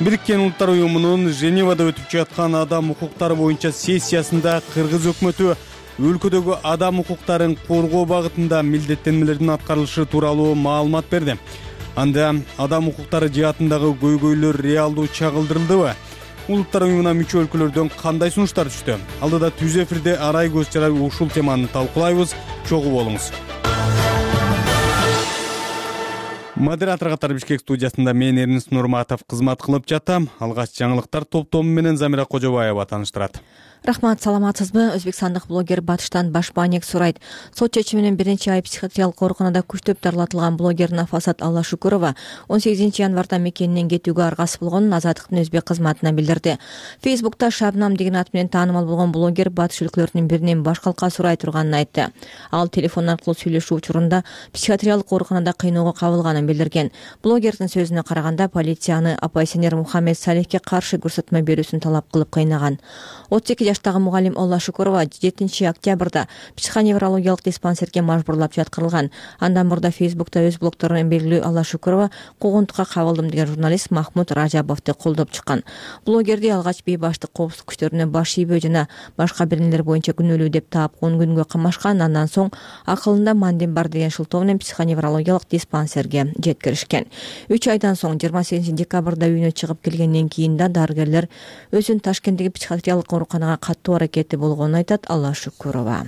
Бириккен Улуттар уюмунун Женевада өтүп жаткан адам укуктары боюнча сессиясында Кыргыз өкмөтү өлкөдөгү адам укуктарын коргоо багытында милдеттенмелердин аткарылышы тууралуу маалымат берди. Анда адам укуктары жаатындагы көйгөйлөр реалдуу чагылдырылдыбы? Улуттар уюмуна мүчө өлкөлөрдөн кандай сунуштар түштү? Алдыда түз эфирде арай көз чарай ушул теманы талкуулайбыз. Чогуу болуңуз. Модератор катары Бишкек студиясында мен Эрнис Нурматов кызмат кылып жатам. Алгач жаңылыктар топтому менен Замира Кожобаева тааныштырат.
Рахмат, саламатсызбы? Өзбекстандык блогер Батыштан баш бааник сурайт. Сот чечиминен биринчи ай психиатриялык ооруканада күчтөп дарылатылган блогер Нафасат Аллашукурова 18 январда мекенинен кетүүгө аргасыз болгонун Азаттыктын өзбек кызматына билдирди. Фейсбукта Шабнам деген ат менен таанымал болгон блогер батыш өлкөлөрүнүн биринен баш калка сурай турганын айтты. Ал телефон аркылуу сүйлөшүү учурунда психиатриялык ооруканада кыйноого кабылганын билдирген. Блогердин сөзүнө караганда полиция аны оппозиционер Мухаммед Салихке каршы көрсөтмө берүүсүн талап кылып кыйнаган. 32 жаштагы мугалим Олла Шукурова 7 октябрда психоневрологиялык диспансерге мажбурлап жаткырылган. Андан мурда Фейсбукта өз блогторунан белгилүү Олла Шукурова куугунтукка кабылдым деген журналист Махмуд Ражабовду колдоп чыккан. Блогерди алгач бейбаштык коопсуздук күчтөрүнө баш ийбөө жана башка бир нелер боюнча күнөөлүү деп таап 10 күнгө камашкан. Андан соң акылында мандин бар деген шылтоо менен психоневрологиялык диспансерге жеткиришкен. 3 айдан соң 28 декабрда үйүнө чыгып келгенден кийин да дарыгерлер өзүн Ташкенттеги психиатриялык ооруканага каттуу аракети болгонун айтат Алла Шукурова.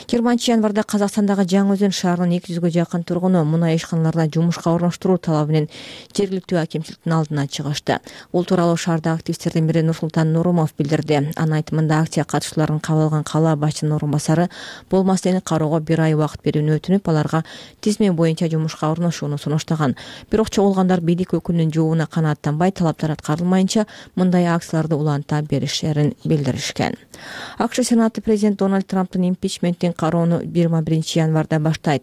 20 январда Казакстандагы Жаңы Өзөн шаарынын 200гө жакын тургуну мунай ишканаларына жумушка орноштуруу талабы менен жергиликтүү акимчиликтин алдына чыгышты. Бул тууралуу шаардагы активисттердин бири Нурсултан Нурумов билдирди. Анын айтымында акция катышчыларын кабыл алган кала башчынын орун басары болмасын кароого 1 ай убакыт берүүнү өтүнүп, аларга тизме боюнча жумушка орношууну сунуштаган. Бирок чогулгандар бийлик өкүлүнүн жообуна канааттанбай, талаптар аткарылмайынча мындай акцияларды уланта беришерин билдиришкен. АКШ Сенаты президент Дональд Трамптын импичменттин кароону 21 январда баштайт.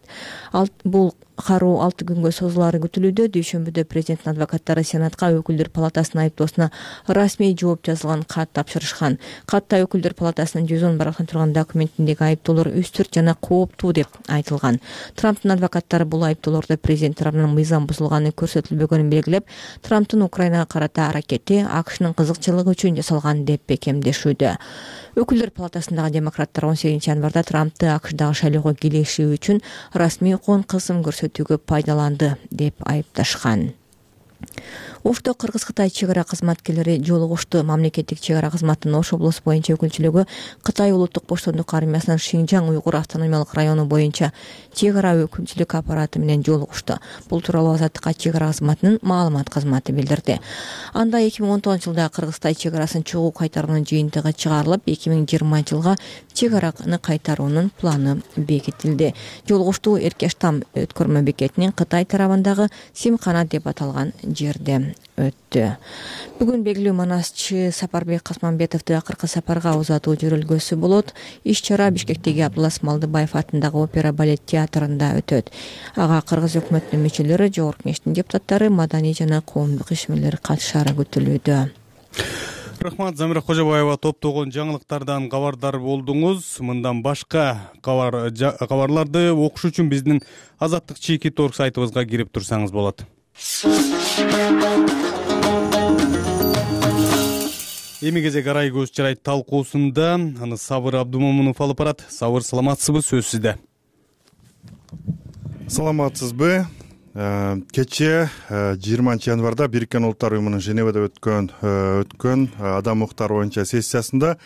Бул кароо 6 күнгө созулары күтүлүүдө. Дүйшөмбүдө президенттин адвокаттары Сенатка өкүлдөр палатасынын айыптоосуна расмий жооп жазылган кат тапшырышкан. Катта өкүлдөр палатасынын 110 барактан турган документиндеги айыптоолор үстүрт жана кооптуу деп айтылган. Трамптын адвокаттары бул айыптоолордо президент тарабынан мыйзам бузулганы көрсөтүлбөгөнүн белгилеп, Трамптын Украинага карата аракети АКШнын кызыкчылыгы үчүн жасалган деп бекемдешүүдө. Өкүлдөр палатасындагы демократтар 18 январда Трампты АКШдагы шайлоого кийлешүү үчүн расмий кон кысым көрсөтүүгө пайдаланды деп айыпташкан. Ошто Кыргыз-Кытай чек ара кызматкерлери жолугушту. Мамлекеттик чек ара кызматынын Ош облусу боюнча өкүлчүлүгү Кытай улуттук боштондук армиясынын Шинжаң уйгур автономиялык району боюнча чек ара өкүлчүлүк аппараты менен жолугушту. Бул тууралуу Азаттыкка чек ара кызматынын маалымат кызматы билдирди. Анда 2019 жылда Кыргыз-Кытай чек арасын чогуу кайтаруунун жыйынтыгы чыгарылып, 2020 жылга чек араны кайтаруунун планы бекитилди. Жолугуштуу Эркештам өткөрмө бекетинин Кытай тарабындагы Симкана деп аталган жерде өттү. Бүгүн белгилүү манасчы Сапарбек Касманбетовду акыркы сапарга узатуу жөрөлгөсү болот. Иш-чара Бишкектеги Абдулас Малдыбаев атындагы опера балет театрында өтөт. Ага Кыргыз өкмөтүнүн мүчөлөрү, Жогорку Кеңештин депутаттары, маданий жана коомдук ишмерлер катышары күтүлүүдө.
Рахмат, Замира Кожобаева топтогон жаңылыктардан кабардар болдуңуз. Мындан башка кабарларды окуш үчүн биздин Азаттык Чекит.org сайтыбызга кирип турсаңыз болот. Эми кезек арай көз чарай талкуусунда аны Сабыр Абдумомунов алып барат. Сабыр, саламатсызбы? Сөз сизде.
Саламатсызбы? Кече 20 январда Бириккен Улуттар Уюмунун Женевада өткөн адам укуктары боюнча сессиясында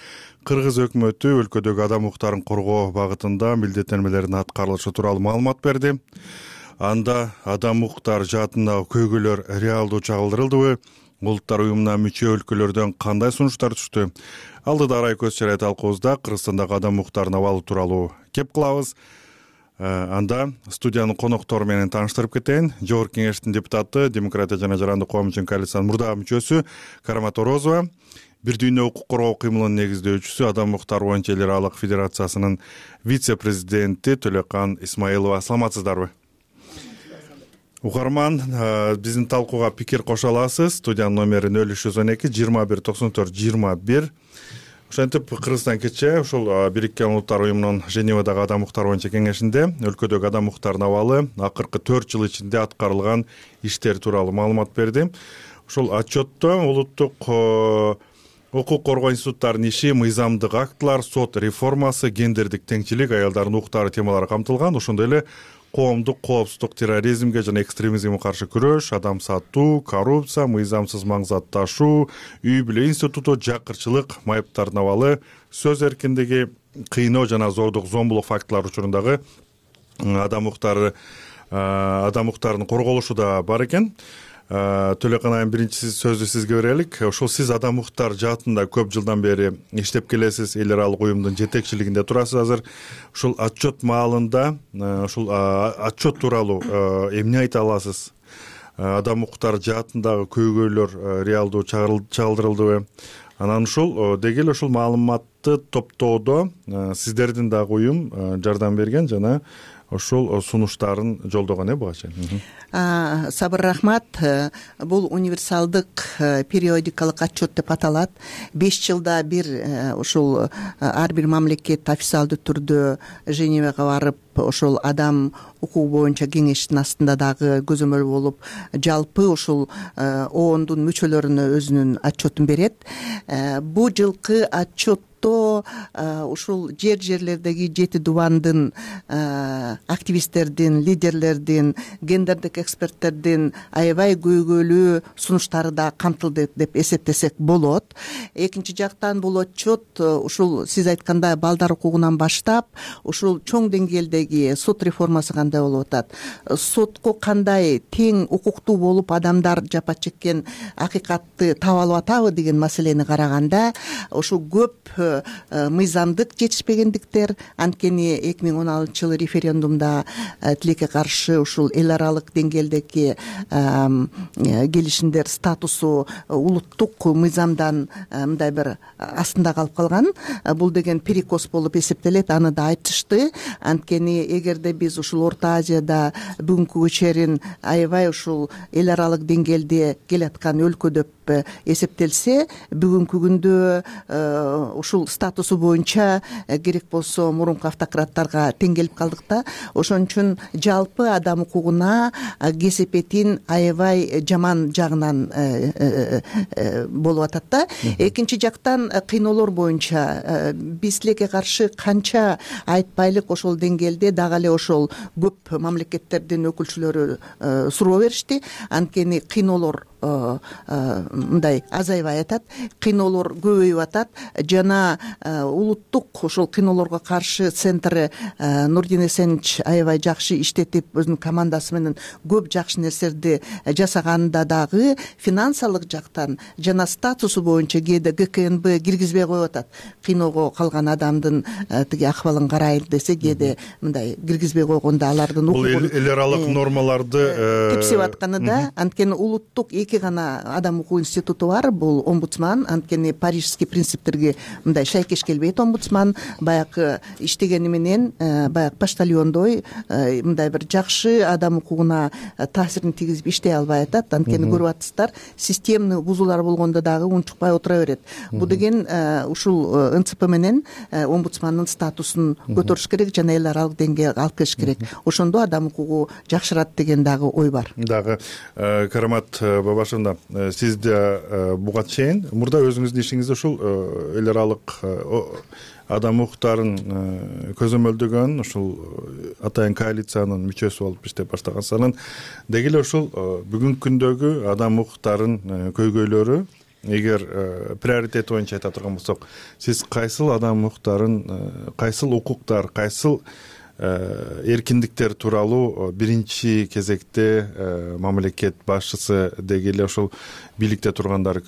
Кыргыз өкмөтү өлкөдөгү адам укуктарын коргоо багытында милдеттенмелердин аткарылышы тууралуу маалымат берди. Анда адам укуктары жаатындагы көйгөйлөр реалдуу чагылдырылдыбы? Улуттар уюмуна мүчө өлкөлөрдөн кандай сунуштар түштү? Алдыда арай көз чарай талкуубузда Кыргызстандагы адам укуктарынын абалы тууралуу кеп кылабыз. Анда студиянын коноктору менен тааныштырып кетейин. Жогорку Кеңештин депутаты, Демократия жана Жарандык коом үчүн коалициянын мурдагы мүчөсү Карамат Орозова, Бир дүйнө укук коргоо кыймылынын негиздөөчүсү, Адам укуктары боюнча эл аралык федерациясынын вице-президенти Төлөкан Исмаилова. Саламатсыздарбы? Угарман, биздин талкууга пикир кошо аласыз. Студиянын номери 0312 21 94 21. Ошентип Кыргызстан кече ушул Бириккен Улуттар Уюмунун Женевадагы адам укуктары боюнча кеңешинде өлкөдөгү адам укуктарынын абалы акыркы 4 жыл ичинде аткарылган иштер тууралуу маалымат берди. Ушул отчетто улуттук укук коргоо институттарынын иши, мыйзамдык актылар, сот реформасы, гендердик теңчилик, аялдардын укуктары темалары камтылган. Ошондой эле коомдук коопсуздук, терроризмге жана экстремизмге каршы күрөш, адам сатуу, коррупция, мыйзамсыз маң зат ташуу, үй бүлө институту, жакырчылык, майыптардын абалы, сөз эркиндиги, кыйноо жана зордук, зомбулук фактылары учурундагы адам укуктарынын корголушу да бар экен. Төлөкан айым, биринчи сөздү сизге берелик. Ошол сиз адам укуктар жаатында көп жылдан бери иштеп келесиз, эл аралык уюмдун жетекчилигинде турасыз азыр. Ушул отчет маалында ушул отчет тууралуу эмне айта аласыз? Адам укуктары жаатындагы көйгөйлөр реалдуу чагылдырылдыбы? Анан ушул деги эле ушул маалыматты топтоодо сиздердин дагы уюм жардам берген жана ошол сунуштарын жолдогон буга чейин.
Сабыр, рахмат. Бул универсалдык периодикалык отчет деп аталат. 5 жылда бир ушул ар бир мамлекет официалдуу түрдө Женевага барып, ошол адам укугу боюнча кеңештин астында дагы көзөмөл болуп, жалпы ушул оондун мүчөлөрүнө өзүнүн отчетун берет. Бу жылкы отчет ушул жерлердеги 7 дубандын активисттердин, лидерлердин, гендердик эксперттердин аябай көйгөйлүү сунуштары да камтылды деп эсептесек болот. Экинчи жактан бул отчет ушул сиз айткандай балдар укугунан баштап, ушул чоң деңгээлдеги сот реформасы кандай болуп атат, сотко кандай тең укуктуу болуп адамдар жапа чеккен акыйкатты таба алып атабы деген маселени караганда, ушул көп мыйзамдык жетишпегендиктер, анткени 2016 жылы референдумда тилекке каршы ушул эл аралык деңгээлдеги келишимдер статусу улуттук мыйзамдан мындай бир астында калып калган. Бул деген перекос болуп эсептелет, аны да айтышты. Анткени эгерде биз ушул Орто Азияда бүгүнкү көчөрүн аябай ушул эл аралык деңгээлде келаткан өлкө деп эсептелсе, бүгүнкү күндө ушул статусу боюнча керек болсо мурунку автократтарга тең келип калдык да. Ошон үчүн жалпы адам укугуна кесепетин аябай жаман жагынан болуп атат да. Экинчи жактан кыйноолор боюнча биз тилекке каршы канча айтпайлык ошол деңгээлде дагы эле ошол көп мамлекеттердин өкүлчүлөрү суроо беришти. Анткени кыйноолор мындай азайбай атат, кыйноолор көбөйүп атат жана улуттук ошол кыйноолорго каршы центри Нурдин Эсенич аябай жакшы иштетип, өзүнүн командасы менен көп жакшы нерселерди жасаганында дагы финансылык жактан жана статусу боюнча кээде ГКНБ киргизбей коюп атат. Кыйноого калган адамдын тиги акыбалын карайын десе, кээде мындай киргизбей койгондо алардын
бул эл аралык нормаларды
тепсип атканы да. Анткени улуттук эки гана адам укугу институту бар. Бул омбудсман, анткени парижский принциптерге мындай шайкеш келбейт омбудсман. Баягы иштегени менен баягы почтальондой мындай бир жакшы адам укугуна таасирин тийгизип иштей албай атат. Анткени көрүп атасыздар, системный бузуулар болгондо дагы унчукпай отура берет. Бул деген ушул НЦП менен омбудсмандын статусун көтөрүш керек жана эл аралык деңгээлге алып келиш керек. Ошондо адам укугу жакшырат деген дагы ой бар.
Дагы Карамат баба, башында сиз да буга чейин мурда өзүңүздүн ишиңизде ушул эл аралык адам укуктарын көзөмөлдөгөн ушул атайын коалициянын мүчөсү болуп иштеп баштагансыз. Анан деги эле ушул бүгүнкү күндөгү адам укуктарын көйгөйлөрү эгер приоритет боюнча айта турган болсок, сиз кайсыл адам укуктарын, кайсыл укуктар, кайсыл эркиндиктер тууралуу биринчи кезекте мамлекет башчысы деги эле ошол бийликте тургандар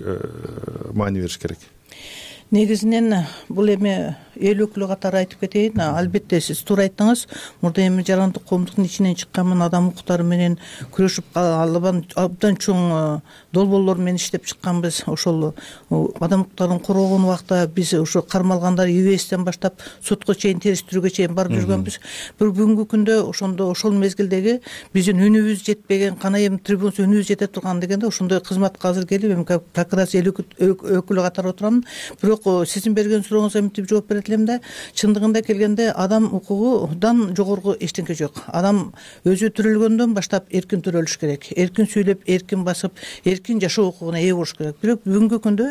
маани бериш керек?
Негизинен бул эми эл өкүлү катары айтып кетейин. Албетте сиз туура айттыңыз. Мурда эми жарандык коомдуктун ичинен чыкканмын, адам укуктары менен күрөшүп абдан чоң долбоорлор менен иштеп чыкканбыз. Ошол адам укуктарын коргогон убакта биз ошо кармалгандар ИВСтен баштап сотко чейин, териштирүүгө чейин барып жүргөнбүз. Бирок бүгүнкү күндө ошол мезгилдеги биздин үнүбүз жетпеген, кана эми трибунасы үнүбүз жете турган дегенде ошондой кызматка азыр келип эми как раз эл өкүлү катары отурам. Бирок сиздин берген сурооңузга мынтип жооп берет элем да, чындыгында келгенде адам укугудан жогорку эчтеке жок. Адам өзү төрөлгөндөн баштап эркин төрөлүш керек, эркин сүйлөп, эркин басып, эркин жашоо укугуна ээ болуш керек. Бирок бүгүнкү күндө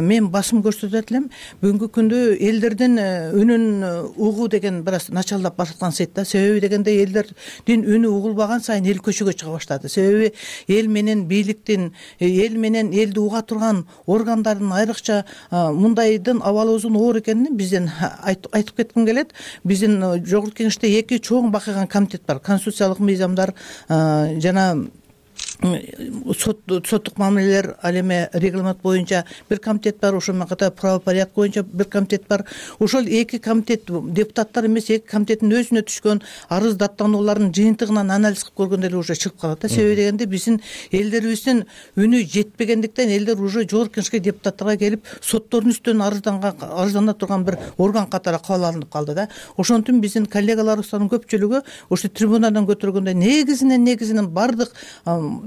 мен басым көрсөтөт элем, бүгүнкү күндө элдердин үнүн угуу деген бир аз начарлап башталгансыйт да. Себеби дегенде элдердин үнү угулбаган сайын эл көчөгө чыга баштады. Себеби эл менен бийликтин, эл менен элди уга турган органдардын айрыкча мындайдын абалыбыздын оор экенин бизден айтып кетким келет. Биздин жогорку кеңеште эки чоң бакыйган комитет бар. Конституциялык мыйзамдар жана соттук мамилелер, ал эми регламент боюнча бир комитет бар, ошол менен катар правопорядок боюнча бир комитет бар. Ошол эки комитет депутаттар эмес, эки комитеттин өзүнө түшкөн арыз даттануулардын жыйынтыгынан анализ кылып көргөндө эле уже чыгып калат да. Себеби дегенде биздин элдерибиздин үнү жетпегендиктен элдер уже жогорку кеңешке депутаттарга келип соттордун үстүнөн арыздана турган бир орган катары кабыл алынып калды да. Ошонтун биздин коллегаларыбыздын көпчүлүгү ошо трибунадан көтөргөндө негизинен бардык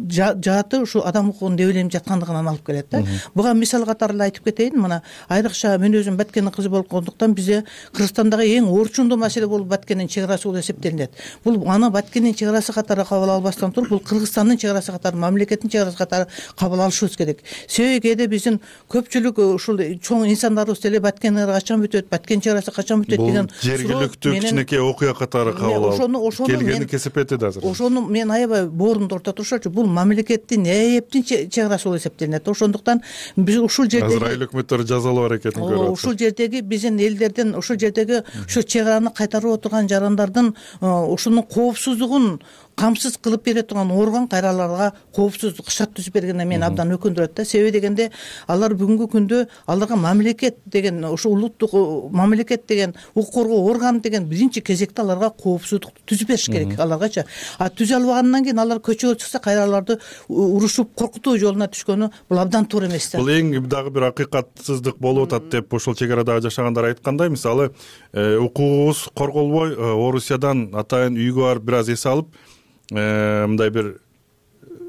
жааты ушу адам укугун дебеленип жаткандыгынан алып келет да. Буга мисал катары эле айтып кетейин. Мына айрыкча мен өзүм Баткендин кызы болгондуктан бизде Кыргызстандагы эң орчундуу маселе болуп Баткендин чек арасы болуп эсептелинет. Бул аны Баткендин чек арасы катары кабыл албастан туруп, бул Кыргызстандын чек арасы катары, мамлекеттин чек арасы катары кабыл алышыбыз керек. Себеби кээде биздин көпчүлүк ушул чоң инсандарыбыз деле Баткен качан бүтөт, Баткен чек арасы качан бүтөт деген
жергиликтүү кичинекей окуя катары кабыл алып келгени кесип этет азыр.
Ошону мен аябай боорумду орто турушачу. Бул мамлекеттин эптин чек арасы болуп эсептелинет. Ошондуктан биз ушул жерде
азыр айыл өкмөттөр жазалоо аракетин көрүп атат.
Ушул жердеги биздин элдердин, ушул жердеги ошо чек араны кайтарып отурган жарандардын ушунун коопсуздугун камсыз кылып бере турган орган кайраларга коопсуздук шарт түзүп бергенине мен абдан өкүндүрөт да. Себеби дегенде алар бүгүнкү күндө аларга мамлекет деген, ошо улуттук мамлекет деген, укук коргоо органы деген биринчи кезекте аларга коопсуздукту түзүп бериш керек аларгачы. Түзө албагандан кийин алар көчөгө чыкса кайра аларды урушуп коркутуу жолуна түшкөнү бул абдан туура эмес да.
Бул эң дагы бир акыйкатсыздык болуп атат деп ошол чек арадагы жашагандар айткандай. Мисалы укугубуз корголбой Орусиядан атайын үйгө барып бир аз эс алып, мындай бир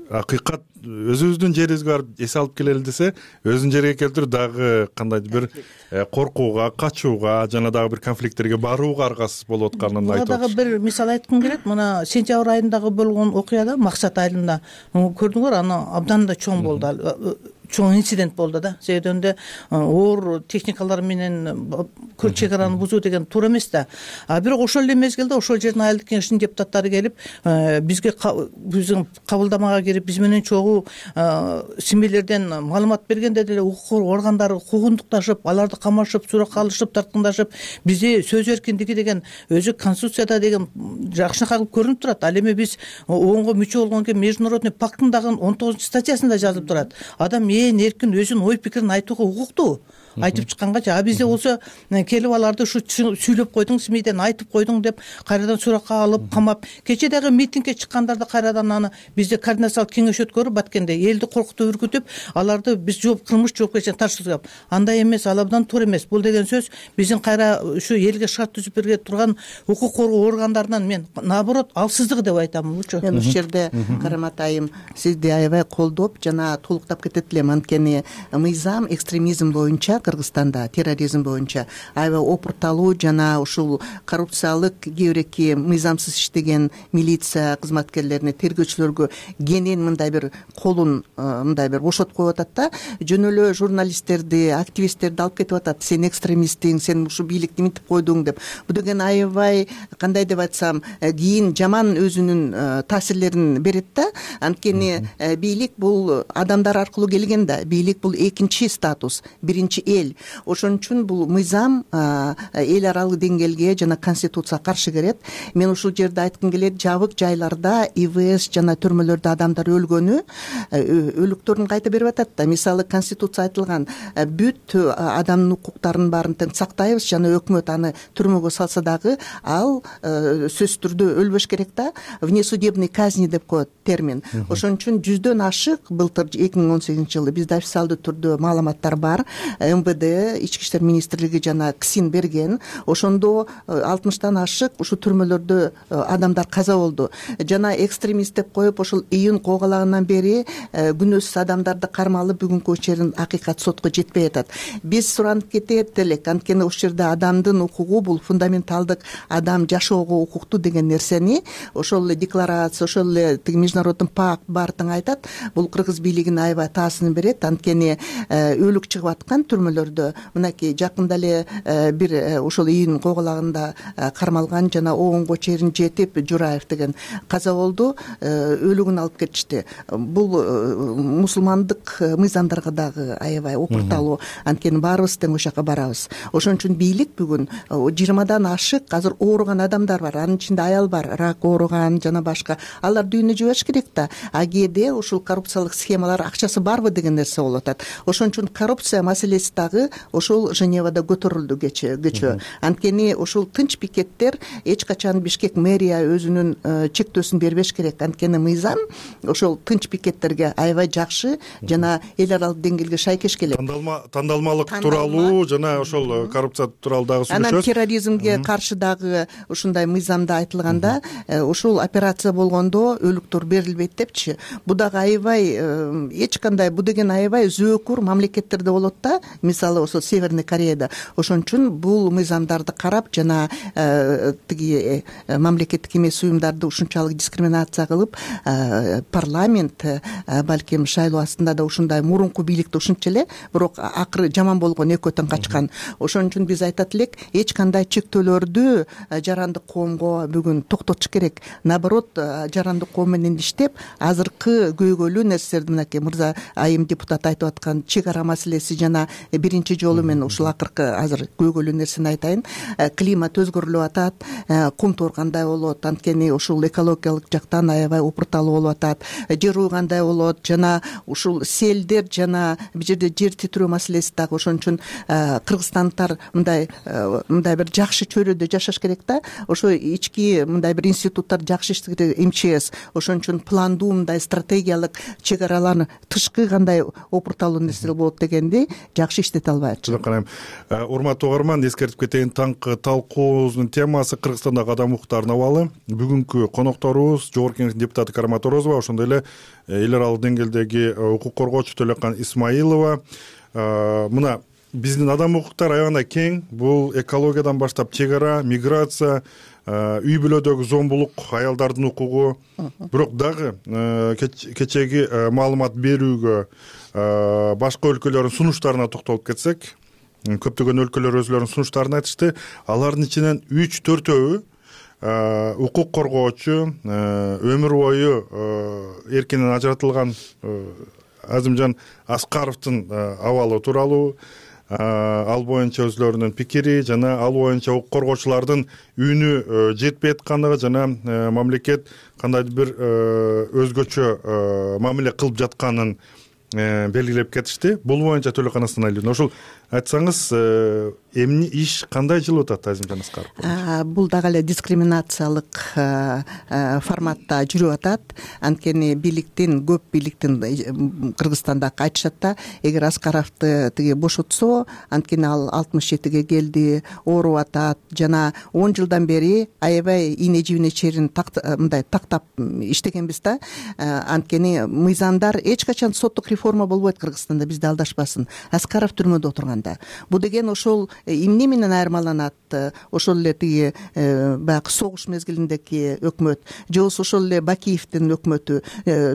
акыйкат өзүбүздүн жерибизге барып эс алып келели десе, өзүнүн жериге келтирип дагы кандайдыр бир коркууга, качууга жана дагы бир конфликттерге барууга аргасыз болуп атканын айтып атат.
Дагы бир мисал айткым келет. Мына сентябрь айындагы болгон окуяда, Максат айылында көрдүңөр, аны абдан да чоң болду. Чоң инцидент болду да. Себебинде оор техникалар менен чек араны бузуу деген туура эмес да. Бирок ошол эле мезгилде ошол жердин айылдык кеңешинин депутаттары келип бизге биздин кабылдамага кирип биз менен чогуу симилерден маалымат бергенде деле укук органдары куугунтукташып, аларды камашып, суракка алышып, тарткындашып, бизде сөз эркиндиги деген өзү конституцияда деген жакшынакай кылып көрүнүп турат. Ал эми биз ООНго мүчө болгондон кийин международный пакттын дагы 19-статьясында жазылып турат. Адам эркин өзүнүн ой пикирин айтууга укуктуу. Айтып чыккангачы, бизде болсо келип аларды ушу сүйлөп койдуң, СМИден айтып койдуң деп кайрадан суракка алып, камап. Кече дагы митингге чыккандарды кайрадан аны бизде координациялык кеңеш өткөрүп Баткенде элди коркутуп, үркүтүп, аларды биз кылмыш жоопкерчиликке тартышып. Андай эмес, ал абдан туура эмес. Бул деген сөз биздин кайра ушу элге шарт түзүп бере турган укук коргоо органдарынан мен наоборот алсыздык деп айтам бучу.
Мен ушул жерде Карамат айым сизди аябай колдоп жана толуктап кетет элем. Анткени мыйзам экстремизм боюнча Кыргызстанда терроризм боюнча аябай опурталуу жана ушул коррупциялык кээ бир эки мыйзамсыз иштеген милиция кызматкерлерине, тергөөчүлөргө кенен мындай бир колун мындай бир бошотуп коюп атат да, жөн эле журналисттерди, активисттерди алып кетип атат. Сен экстремистиң, сен ушу бийликти минтип койдуң деп. Бул деген аябай кандай деп айтсам, кийин жаман өзүнүн таасирлерин берет да. Анткени бийлик бул адамдар аркылуу келген да. Бийлик бул экинчи статус, биринчи эл. Ошон үчүн бул мыйзам эл аралык деңгээлге жана конституцияга каршы келет. Мен ушул жерде айткым келет, жабык жайларда ИВС жана түрмөлөрдө адамдар өлгөнү, өлүктөрүн кайта берип атат да. Мисалы конституция айтылган бүт адамдын укуктарын баарын тең сактайбыз жана өкмөт аны түрмөгө салса дагы ал сөзсүз түрдө өлбөш керек да. Внесудебный казни деп коет термин. Ошон үчүн 100дөн ашык былтыр 2018-жылы бизде официалдуу түрдө маалыматтар бар. МВД, Ички иштер министрлиги жана КСИН берген. Ошондо 60тан ашык ушу түрмөлөрдө адамдар каза болду. Жана экстремист деп коюп ошол июнь куугалагандан бери күнөөсүз адамдарды кармалып бүгүнкү чейин акыйкат сотко жетпей атат. Биз суранып кетет элек, анткени ушул жерде адамдын укугу бул фундаменталдык, адам жашоого укуктуу деген нерсени ошол эле декларация, ошол эле международный пакт баардыгы айтат. Бул кыргыз бийлигине аябай таасирин берет. Анткени өлүк чыгып аткан түрмөлөрдө мынакей жакында эле бир ошол июнь куугалагында кармалган жана оонго чейин жетип Жураев деген каза болду. Өлүгүн алып кетишти. Бул мусулмандык мыйзамдарга дагы аябай опурталуу. Анткени баарыбыз тең ошол жака барабыз. Ошон үчүн бийлик бүгүн 20дан ашык азыр ооруган адамдар бар. Анын ичинде аял бар, рак ооруган жана башка. Алар дүйнө жибериш керек да. А кээде ушул коррупциялык схемалар акчасы барбы деген нерсе болуп атат. Ошон үчүн коррупция маселеси дагы ошол Женевада көтөрүлдү кечөө. Анткени ушул тынч пикеттер эч качан Бишкек мэрия өзүнүн чектөөсүн бербеш керек. Анткени мыйзам ошол тынч пикеттерге аябай жакшы жана эл аралык деңгээлге шайкеш келет.
Тандалмалык тууралуу жана ошол коррупция тууралуу дагы сүйлөшөбүз.
Анан терроризмге каршы дагы ушундай мыйзамда айтылганда, ушул операция болгондо өлүктөр берилбейт депчи. Бу дагы аябай эч кандай, бу деген аябай зөөкүр мамлекеттерде болот да. Мисалы ошол Северный Кореяда. Ошон үчүн бул мыйзамдарды карап жана тиги мамлекеттик эмес уюмдарды ушунчалык дискриминация кылып, парламент балким шайлоо астында да ушундай мурунку бийликте ушунча эле, бирок акыры жаман болгон экөөтөн качкан. Ошон үчүн биз айтат элек, эч кандай чектөөлөрдү жарандык коомго бүгүн токтотуш керек. Наоборот, жарандык коом менен иштеп, азыркы көйгөйлүү нерселерди мынакей мырза айым депутат айтып аткан чек ара маселеси жана биринчи жолу мен ушул акыркы азыр көйгөйлүү нерсени айтайын. Климат өзгөрүлүп атат, кум тоор кандай болот, анткени ушул экологиялык жактан аябай опурталуу болуп атат. Жер үй кандай болот жана ушул селдер жана бул жерде жер титирөө маселеси дагы. Ошон үчүн кыргызстандыктар мындай бир жакшы чөйрөдө жашаш керек да. Ошо ички мындай бир институттар жакшы иштеш керек, МЧС. Ошон үчүн пландуу мындай стратегиялык чек араларын тышкы кандай опурталуу нерселер болот дегенди жакшы иштете албай атышат.
Карайм. Урматтуу угарман, эскертип кетейин, таңкы талкуубуздун темасы Кыргызстандагы адам укуктарына абалы. Бүгүнкү конокторубуз Жогорку Кеңештин депутаты Кармат Орозова, ошондой эле эл аралык деңгээлдеги укук коргоочу Төлөкан Исмаилова. Мына биздин адам укуктар аябай кең. Бул экологиядан баштап чек ара, миграция, үй бүлөдөгү зомбулук, аялдардын укугу. Бирок дагы кечеги маалымат берүүгө башка өлкөлөрдүн сунуштарына токтолуп кетсек, көптөгөн өлкөлөр өзүлөрүнүн сунуштарын айтышты. Алардын ичинен 3-4 укук коргоочу, өмүр бою эркинен ажыратылган Азимжан Аскаровдун абалы тууралуу, ал боюнча өзүлөрүнүн пикири жана ал боюнча укук коргоочулардын үнү жетпей аткандыгы жана мамлекет кандайдыр бир өзгөчө мамиле кылып жатканын белгилеп кетишти. Бул боюнча Төлөкан Исмаиловна, ошол айтсаңыз, эмне иш кандай жылып атат Азимжан Аскаров?
Бул дагы эле дискриминациялык форматта жүрүп атат. Анткени бийликтин, көп бийликтин Кыргызстанда айтышат да, эгер Аскаровду тиги бошотсо, анткени ал 67ге келди, ооруп атат жана 10 жылдан бери аябай ийне жибине чейин мындай тактап иштегенбиз да. Анткени мыйзамдар эч качан соттук реформа болбойт Кыргызстанда, бизде алдашпасын. Аскаров түрмөдө отурган. айтканда. Бул деген ошол эмне менен айырмаланат? Ошол эле тиги баягы согуш мезгилиндеги өкмөт, же болбосо ошол эле Бакиевдин өкмөтү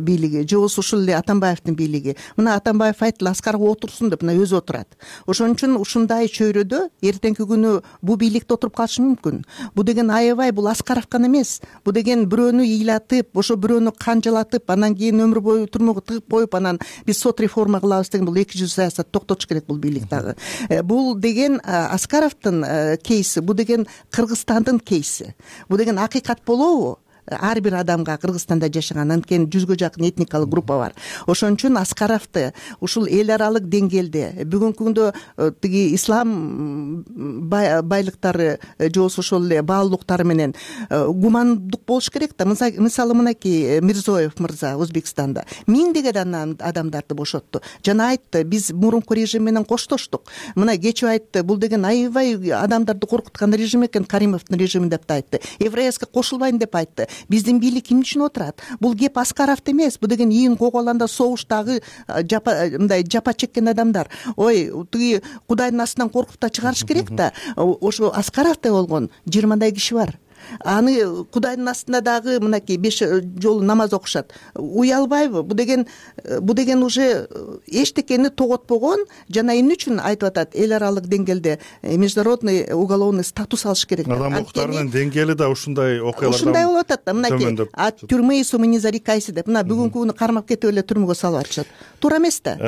бийлиги, же болбосо ушул эле Атамбаевдин бийлиги. Мына Атамбаев айттылы, Аскаров отурсун деп, мына өзү отурат. Ошон үчүн ушундай чөйрөдө эртеңки күнү бул бийликте отуруп калышы мүмкүн. Бул деген аябай, бул Аскаров гана эмес. Бул деген бирөөнү ыйлатып, ошо бирөөнү канжалатып, анан кийин өмүр бою турмага тыгып коюп, анан биз сот реформа кылабыз деген бул 200 саясат токтотуш керек бул бийлик дагы. Бул деген Аскаровдун кейси, бул деген Кыргызстандын кейси. Бул деген акыйкат болобу? Ар бир адамга Кыргызстанда жашаган анткени 100гө жакын этникалык группа бар. Ошон үчүн Аскаровду ушул эл аралык деңгээлде бүгүнкү күндө тиги ислам байлыктары же болбосо ошол эле баалуулуктары менен гумандык болуш керек да. Мисалы мынакей Мирзоев мырза Өзбекстанда миңдеген адамдарды бошотту. Жана айтты, биз мурунку режим менен коштоштук. Мына кечээ айтты, бул деген аябай адамдарды коркуткан режим экен, Каримовдун режими деп да айтты. Еврейска кошулбайм деп айтты. Биздин бийлик ким үчүн отурат? Бул кеп Аскаровду эмес. Бул деген ийин коголанда согуштагы мындай жапа чеккен адамдар. Ой, тиги Кудайдын астынан коркуп да чыгарыш керек да. Ошо Аскаровдой болгон 20 киши бар. Аны Кудайдын астында дагы мынакей 5 жолу намаз окушат. Уялбайбы? Бул деген уже эчтекени тоготпогон, жана эмне үчүн айтып атат? Эл аралык деңгээлде международный уголовный статус алыш керек.
Адам укуктарынын деңгээли да ушундай окуялардан
ушундай болуп атат да. Мынакей от тюрьмы сумы не зарекайся деп. Мына бүгүнкү күнү кармап кетип эле түрмөгө салып атышат. Туура эмес да?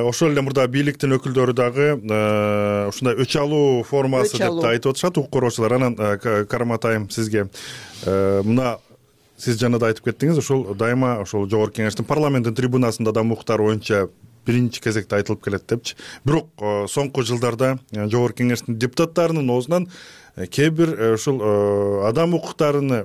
Ошол эле мурда бийликтин өкүлдөрү дагы ушундай өч алуу формасы деп да айтып атышат, укук коргоочулар. Анан Карматайым сизге мына сиз жана да айтып кеттиңиз, ошол дайыма ошол жогорку кеңештин парламенттин трибунасында да укуктар боюнча биринчи кезекте айтылып келет депчи. Бирок соңку жылдарда жогорку кеңештин депутаттарынын оозунан кээ бир ушул адам укуктарыны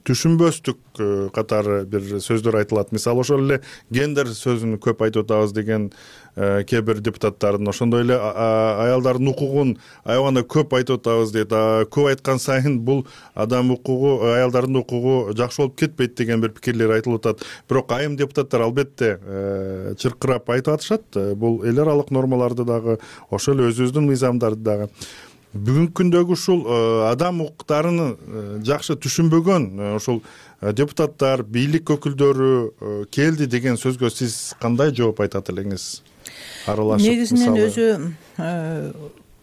түшүнбөстүк катары бир сөздөр айтылат. Мисалы ошол эле гендер сөзүн көп айтып атабыз деген кээ бир депутаттардын, ошондой эле аялдардын укугун аябаганда көп айтып атабыз дейт. Көп айткан сайын бул адам укугу, аялдардын укугу жакшы болуп кетпейт деген бир пикирлер айтылып атат. Бирок айым депутаттар албетте чыркырап айтып атышат. Бул эл аралык нормаларды дагы, ошол эле өзүбүздүн мыйзамдарды дагы. Бүгүнкү күндөгү ушул адам укуктарын жакшы түшүнбөгөн ошол депутаттар, бийлик өкүлдөрү келди деген сөзгө сиз кандай жооп айтат элеңиз? Аралашып,
негизинен өзү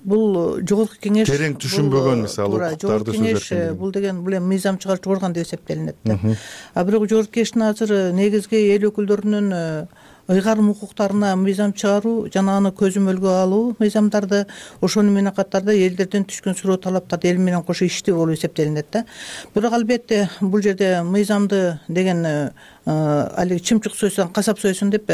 бул жогорку кеңеш
терең түшүнбөгөн мисалы укуктарды
сөзөркүн. Бул деген бул эми мыйзам чыгаруучу орган деп эсептелинет да. Бирок жогорку кеңештин азыр негизги эл өкүлдөрүнүн ыйгарым укуктарына мыйзам чыгаруу жана аны көзөмөлгө алуу мыйзамдарды, ошону менен катарда элдерден түшкөн суроо талаптарды эл менен кошо иштөө болуп эсептелинет да. Бирок албетте бул жерде мыйзамды деген алиги чымчык сойсоң касап сойсун деп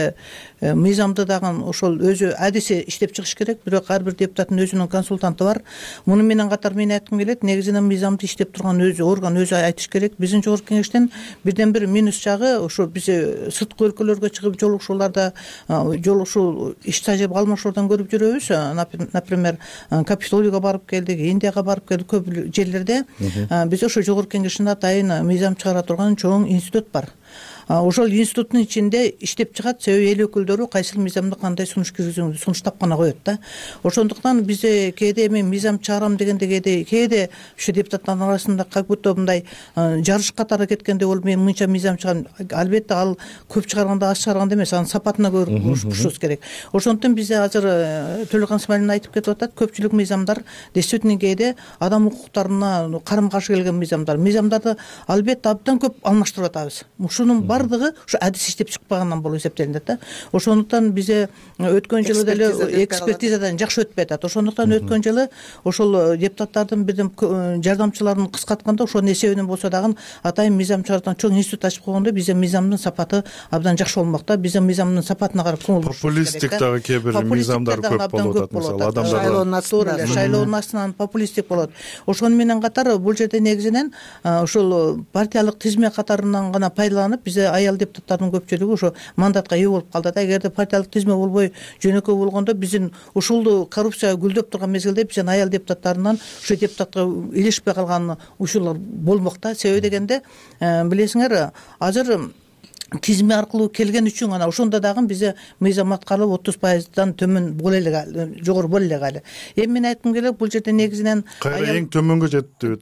мыйзамды дагы ошол өзү адиси иштеп чыгыш керек. Бирок ар бир депутаттын өзүнүн консультанты бар. Муну менен катар мен айткым келет, негизинен мыйзамды иштеп турган өзү орган өзү айтыш керек. Биздин жогорку кеңештен бирден бир минус жагы ошо биз сырткы өлкөлөргө чыгып жолугушууларда жолугушуу иш тажрыйба алмашуудан көрүп жүрөбүз. Например, Капитолийге барып келдик, Индияга барып келдик, көп жерлерде биз ошо жогорку кеңештин атайын мыйзам чыгара турган чоң институт бар. Ошол институттун ичинде иштеп чыгат, себеби эл өкүлдөрү кайсыл мыйзамды кандай сунуш киргизүүнү сунуштап гана коет да. Ошондуктан бизде кээде мен мыйзам чыгарам дегенде кээде ушу депутаттардын арасында как будто мындай жарыш катары кеткендей болуп, мен мынча мыйзам чыгарам. Албетте ал көп чыгарганда аз чыгарганда эмес, анын сапатына көрүшүбүз керек. Ошондуктан бизде азыр Төлөкан Смайлин айтып кетип атат, көпчүлүк мыйзамдар действительно кээде адам укуктарына карама каршы келген мыйзамдарды албетте абдан көп алмаштырып атабыз. Ушунун бардыгы ушу адис иштеп чыкпагандан болуп эсептелинет да. Ошондуктан бизе өткөн жылы деле экспертизадан жакшы өтпөй атат. Ошондуктан өткөн жылы ошол депутаттардын бирден жардамчыларын кыскартканда ошонун эсебинен болсо дагы атайын мыйзам чыгарган чоң институт ачып койгондо бизде мыйзамдын сапаты абдан жакшы болмок да. Бизде мыйзамдын сапатына карап көңүл бурушубуз керек.
Популисттик дагы кээ бир мыйзамдар көп болуп атат. Мисалы адамдар
шайлоонун
астынан популисттик болот. Ошону менен катар бул жерде негизинен ошол партиялык тизме катарынан гана пайдаланып бизде аял депутаттардын көпчүлүгү ошо мандатка ээ болуп калды да. Эгерде партиялык тизме болбой жөнөкөй болгондо биздин ушул коррупция гүлдөп турган мезгилде биздин аял депутаттарынан ошо депутатка илешпей калган учурлар болмок да. Себеби дегенде билесиңер азыр тизими аркылуу келген үчүн гана ошондо дагы биз мыйзам аткарылып 30%дан төмөн боло эле жогору боло эле кале. Эми мен айткым келет, бул жерде негизинен
кайра эң төмөнгө жетти.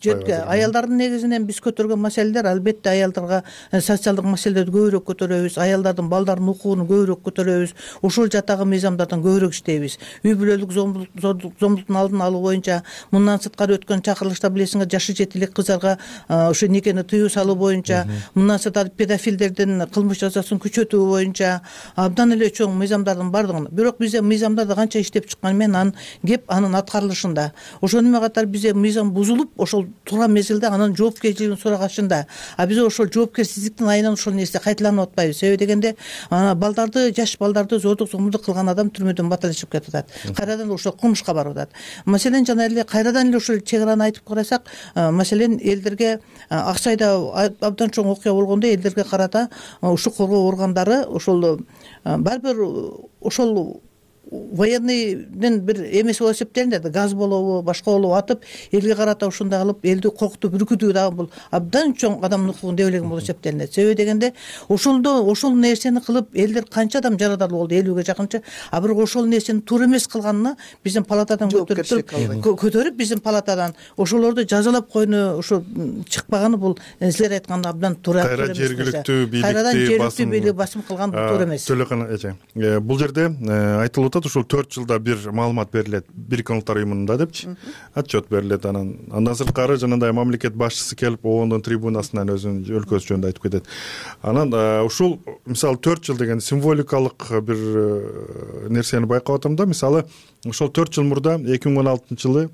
Аялдардын негизинен биз көтөргөн маселелер албетте аялдарга социалдык маселелерди көбүрөөк көтөрөбүз, аялдардын балдардын укугун көбүрөөк көтөрөбүз, ошол жактагы мыйзамдардан көбүрөөк иштейбиз. Үй бүлөлүк зомбулуктун алдын алуу боюнча мындан сырткары өткөн чакырылышта билесиңер, жашы жети элек кыздарга ошо некени тыюу салуу боюнча, мындан сырткары педофилдердин кылмыш жазасын күчөтүү боюнча абдан эле чоң мыйзамдардын бардыгын. Бирок бизде мыйзамдарды канча иштеп чыкканы менен анын кеп анын аткарылышында. Ошону менен катар бизде мыйзам бузулуп, ошол туура мезгилде анын жоопкерчилигин сурагачында. А биз ошол жоопкерсиздиктин айынан ошол нерсе кайталанып атпайбыз. Себеби дегенде балдарды, жаш балдарды зордук зомбулдук кылган адам түрмөдөн баталашып кетип атат. Кайрадан ошол кылмышка барып атат. Маселен жана эле кайрадан эле ошол чек араны айтып карасак, маселен элдерге Аксайда абдан чоң окуя болгондо элдерге карата ушул коргоо органдары ошол баары бир ошол военныйдын бир эмеси болуп эсептелинет, газ болобу, башка болобу атып, элге карата ушундай кылып элди коркутуп үркүтүү дагы бул абдан чоң адамдын укугун дебелеген болуп эсептелинет. Себеби дегенде ошол нерсени кылып элдер канча адам жарадарлуу болду, 50ге жакынча. А бирок ошол нерсени туура эмес кылганына биздин палатадан көтөрүп биздин палатадан ошолорду жазалап койну ошо чыкпаганы бул силер айткандай абдан туура.
Кайра жергиликтүү
бийлик басым кылган туура эмес.
Төлөкөн эже, бул жерде айтылып ушул 4 жылда бир маалымат берилет, Бириккен Улуттар уюмунда депчи, отчет берилет. Андан сырткары жанагындай мамлекет башчысы келип оондун трибунасынан өзүнүн өлкөсү жөнүндө айтып кетет. Анан ушул мисалы 4 жыл деген символикалык бир нерсени байкап атам да. Мисалы ошол 4 жыл мурда 2016-жылы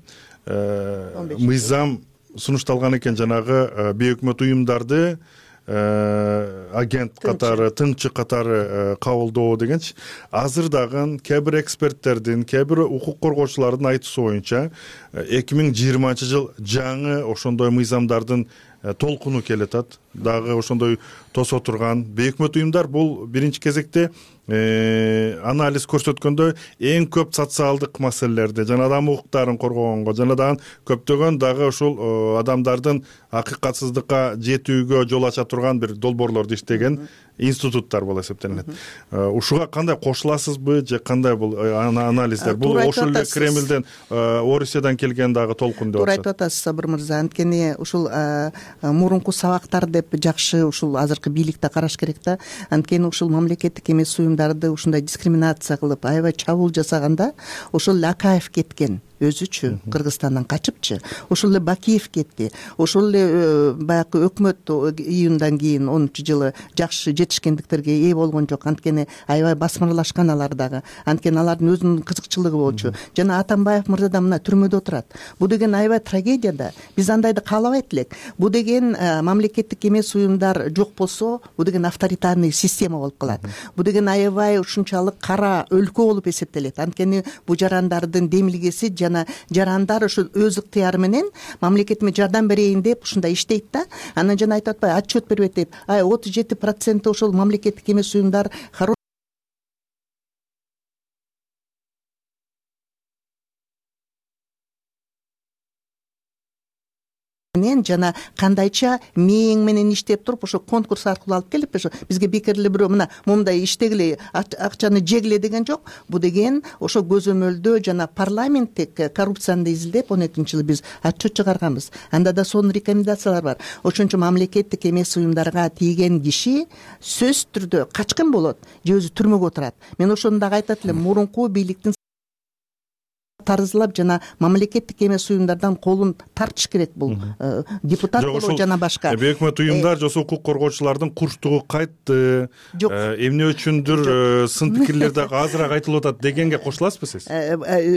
мыйзам сунушталган экен, жанагы бейөкмөт уюмдарды агент катары, тыңчы катары кабылдоо дегенчи. Азыр дагы кээ бир эксперттердин, кээ бир укук коргоочулардын айтуусу боюнча 2020-жыл жаңы ошондой мыйзамдардын толкуну келет атат. Дагы ошондой тосо турган бейөкмөт уюмдар бул биринчи кезекте анализ көрсөткөндө эң көп социалдык маселелерди, жана адам укуктарын коргогонго, жана дагы көптөгөн дагы ушул адамдардын акыйкатсыздыкка жетүүгө жол ача турган бир долбоорлорду иштеген институттар болуп эсептелинет. Ушуга кандай кошуласызбы же кандай бул анализдер? Бул ошол эле Кремлден, Орусиядан келген дагы толкун деп атышат.
Туура айтып атасыз, Сабыр мырза. Анткени ушул мурунку сабактар деп жакшы ушул азыркы бийликте караш керек да. Анткени ушул мамлекеттик эмес уюмдарды ушундай дискриминация кылып, аябай чабуул жасаганда ошол Акаев кеткен өзүчү Кыргызстандан качыпчы, ошол эле Бакиев кетти, ошол эле баягы өкмөт июндан кийин 10-жылы жакшы жетишкендиктерге ээ болгон жок. Анткени аябай басмырлашкан алар дагы. Анткени алардын өзүнүн кызыкчылыгы болчу. Жана Атамбаев мырза да мына түрмөдө отурат. Бул деген аябай трагедия да. Биз андайды каалабайт элек. Бул деген мамлекеттик эмес уюмдар жок болсо, бул деген авторитарный система болуп калат. Бул деген аябай ушунчалык кара өлкө болуп эсептелет. Анткени бул жарандардын демилгеси жарандар ошо өз ыктыяры менен мамлекетиме жардам берейин деп ушундай иштейт да. Анан жана айтып атпайбы, отчет бербейт деп. 37% ошол мамлекеттик эмес уюмдар жана кандайча мээң менен иштеп туруп ошо конкурс аркылуу алып келип ошо бизге бекерли бирөө мына момундай иштегиле, акчаны жегиле деген жок. Бул деген ошо көзөмөлдөө жана парламенттик коррупцияны изилдеп 12-жылы биз отчет чыгарганбыз. Анда да сонун рекомендациялар бар. Ошон үчүн мамлекеттик эмес уюмдарга тийген киши сөзсүз түрдө качкын болот же өзү түрмөгө отурат. Мен ошону дагы айтат элем, мурунку бийликтин тарзылап жана мамлекеттик эмес уюмдардан колун тартыш керек. Бул депутат болобу жана башка
бейөкмөт уюмдар же укук коргоочулардын курчтугу кайтты, эмне үчүндүр сын пикирлер дагы азыраак айтылып атат дегенге кошуласызбы сиз?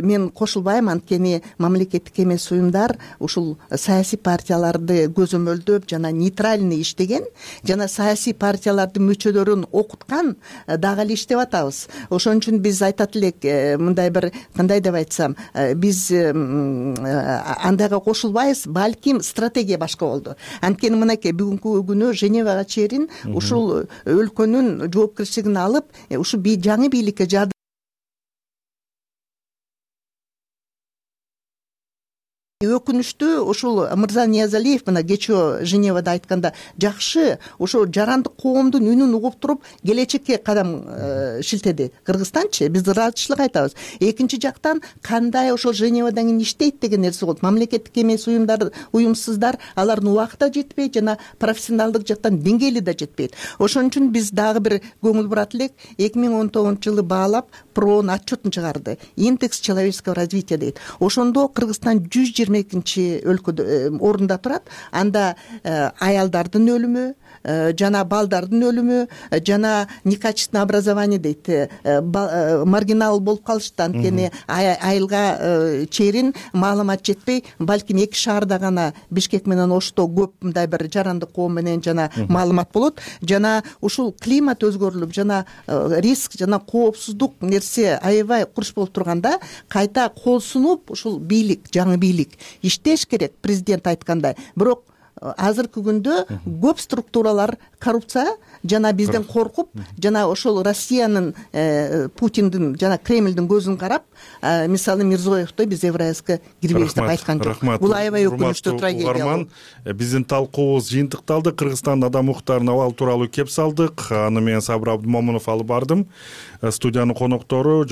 Мен кошулбайм. Анткени мамлекеттик эмес уюмдар ушул саясий партияларды көзөмөлдөп жана нейтральный иштеген, жана саясий партиялардын мүчөлөрүн окуткан дагы эле иштеп атабыз. Ошон үчүн биз айтат элек, мындай бир кандай деп айтсам, биз андайга кошулбайбыз, балким стратегия башка болду. Анткени мынакей бүгүнкү күнү Женевага чейин ушул өлкөнүн жоопкерчилигин алып, ушу жаңы бийликке жардам өкүнүчтүү ушул мырза Ниязалиев мына кечээ Женевада айтканда жакшы ошо жарандык коомдун үнүн угуп туруп келечекке кадам шилтеди. Кыргызстанчы биз ыраазычылык айтабыз. Экинчи жактан кандай ошол Женевадан кийин иштейт деген нерсе болот. Мамлекеттик эмес уюмсуздар алардын убакыты жетпейт жана профессионалдык жактан деңгээли да жетпейт. Ошон үчүн биз дагы бир көңүл бурат элек. 2019-жылы баалап ПРОнун отчетун чыгарды. Индекс человеческого развития дейт. Ошондо Кыргызстан 122 өлкөдө орунда турат. Анда аялдардын өлүмү жана балдардын өлүмү жана некачественное образование дейт. Маргинал болуп калышты. Анткени айылга чейин маалымат жетпей, балким 2 шаарда гана Бишкек менен Ошто көп мындай бир жарандык коом менен жана маалымат болот. Жана ушул климат өзгөрүлүп жана риск жана коопсуздук нерсе аябай курч болуп турганда кайта кол сунуп ушул бийлик, жаңы бийлик иштеш керек, президент айткандай. Бирок азыркы күндө көп структуралар коррупция жана бизден коркуп жана ошол Россиянын Путиндин жана Кремлдин көзүн карап, мисалы Мирзоевдой биз Евразиска кирбейбиз деп айткан жок. Бул аябай өкүнүчтүү трагедия.
Биздин талкуубуз жыйынтыкталды. Кыргызстандын адам укуктарынын абалы тууралуу кеп салдык. Аны мен Сабыр Абдымомунов алып бардым. Студиянын коноктору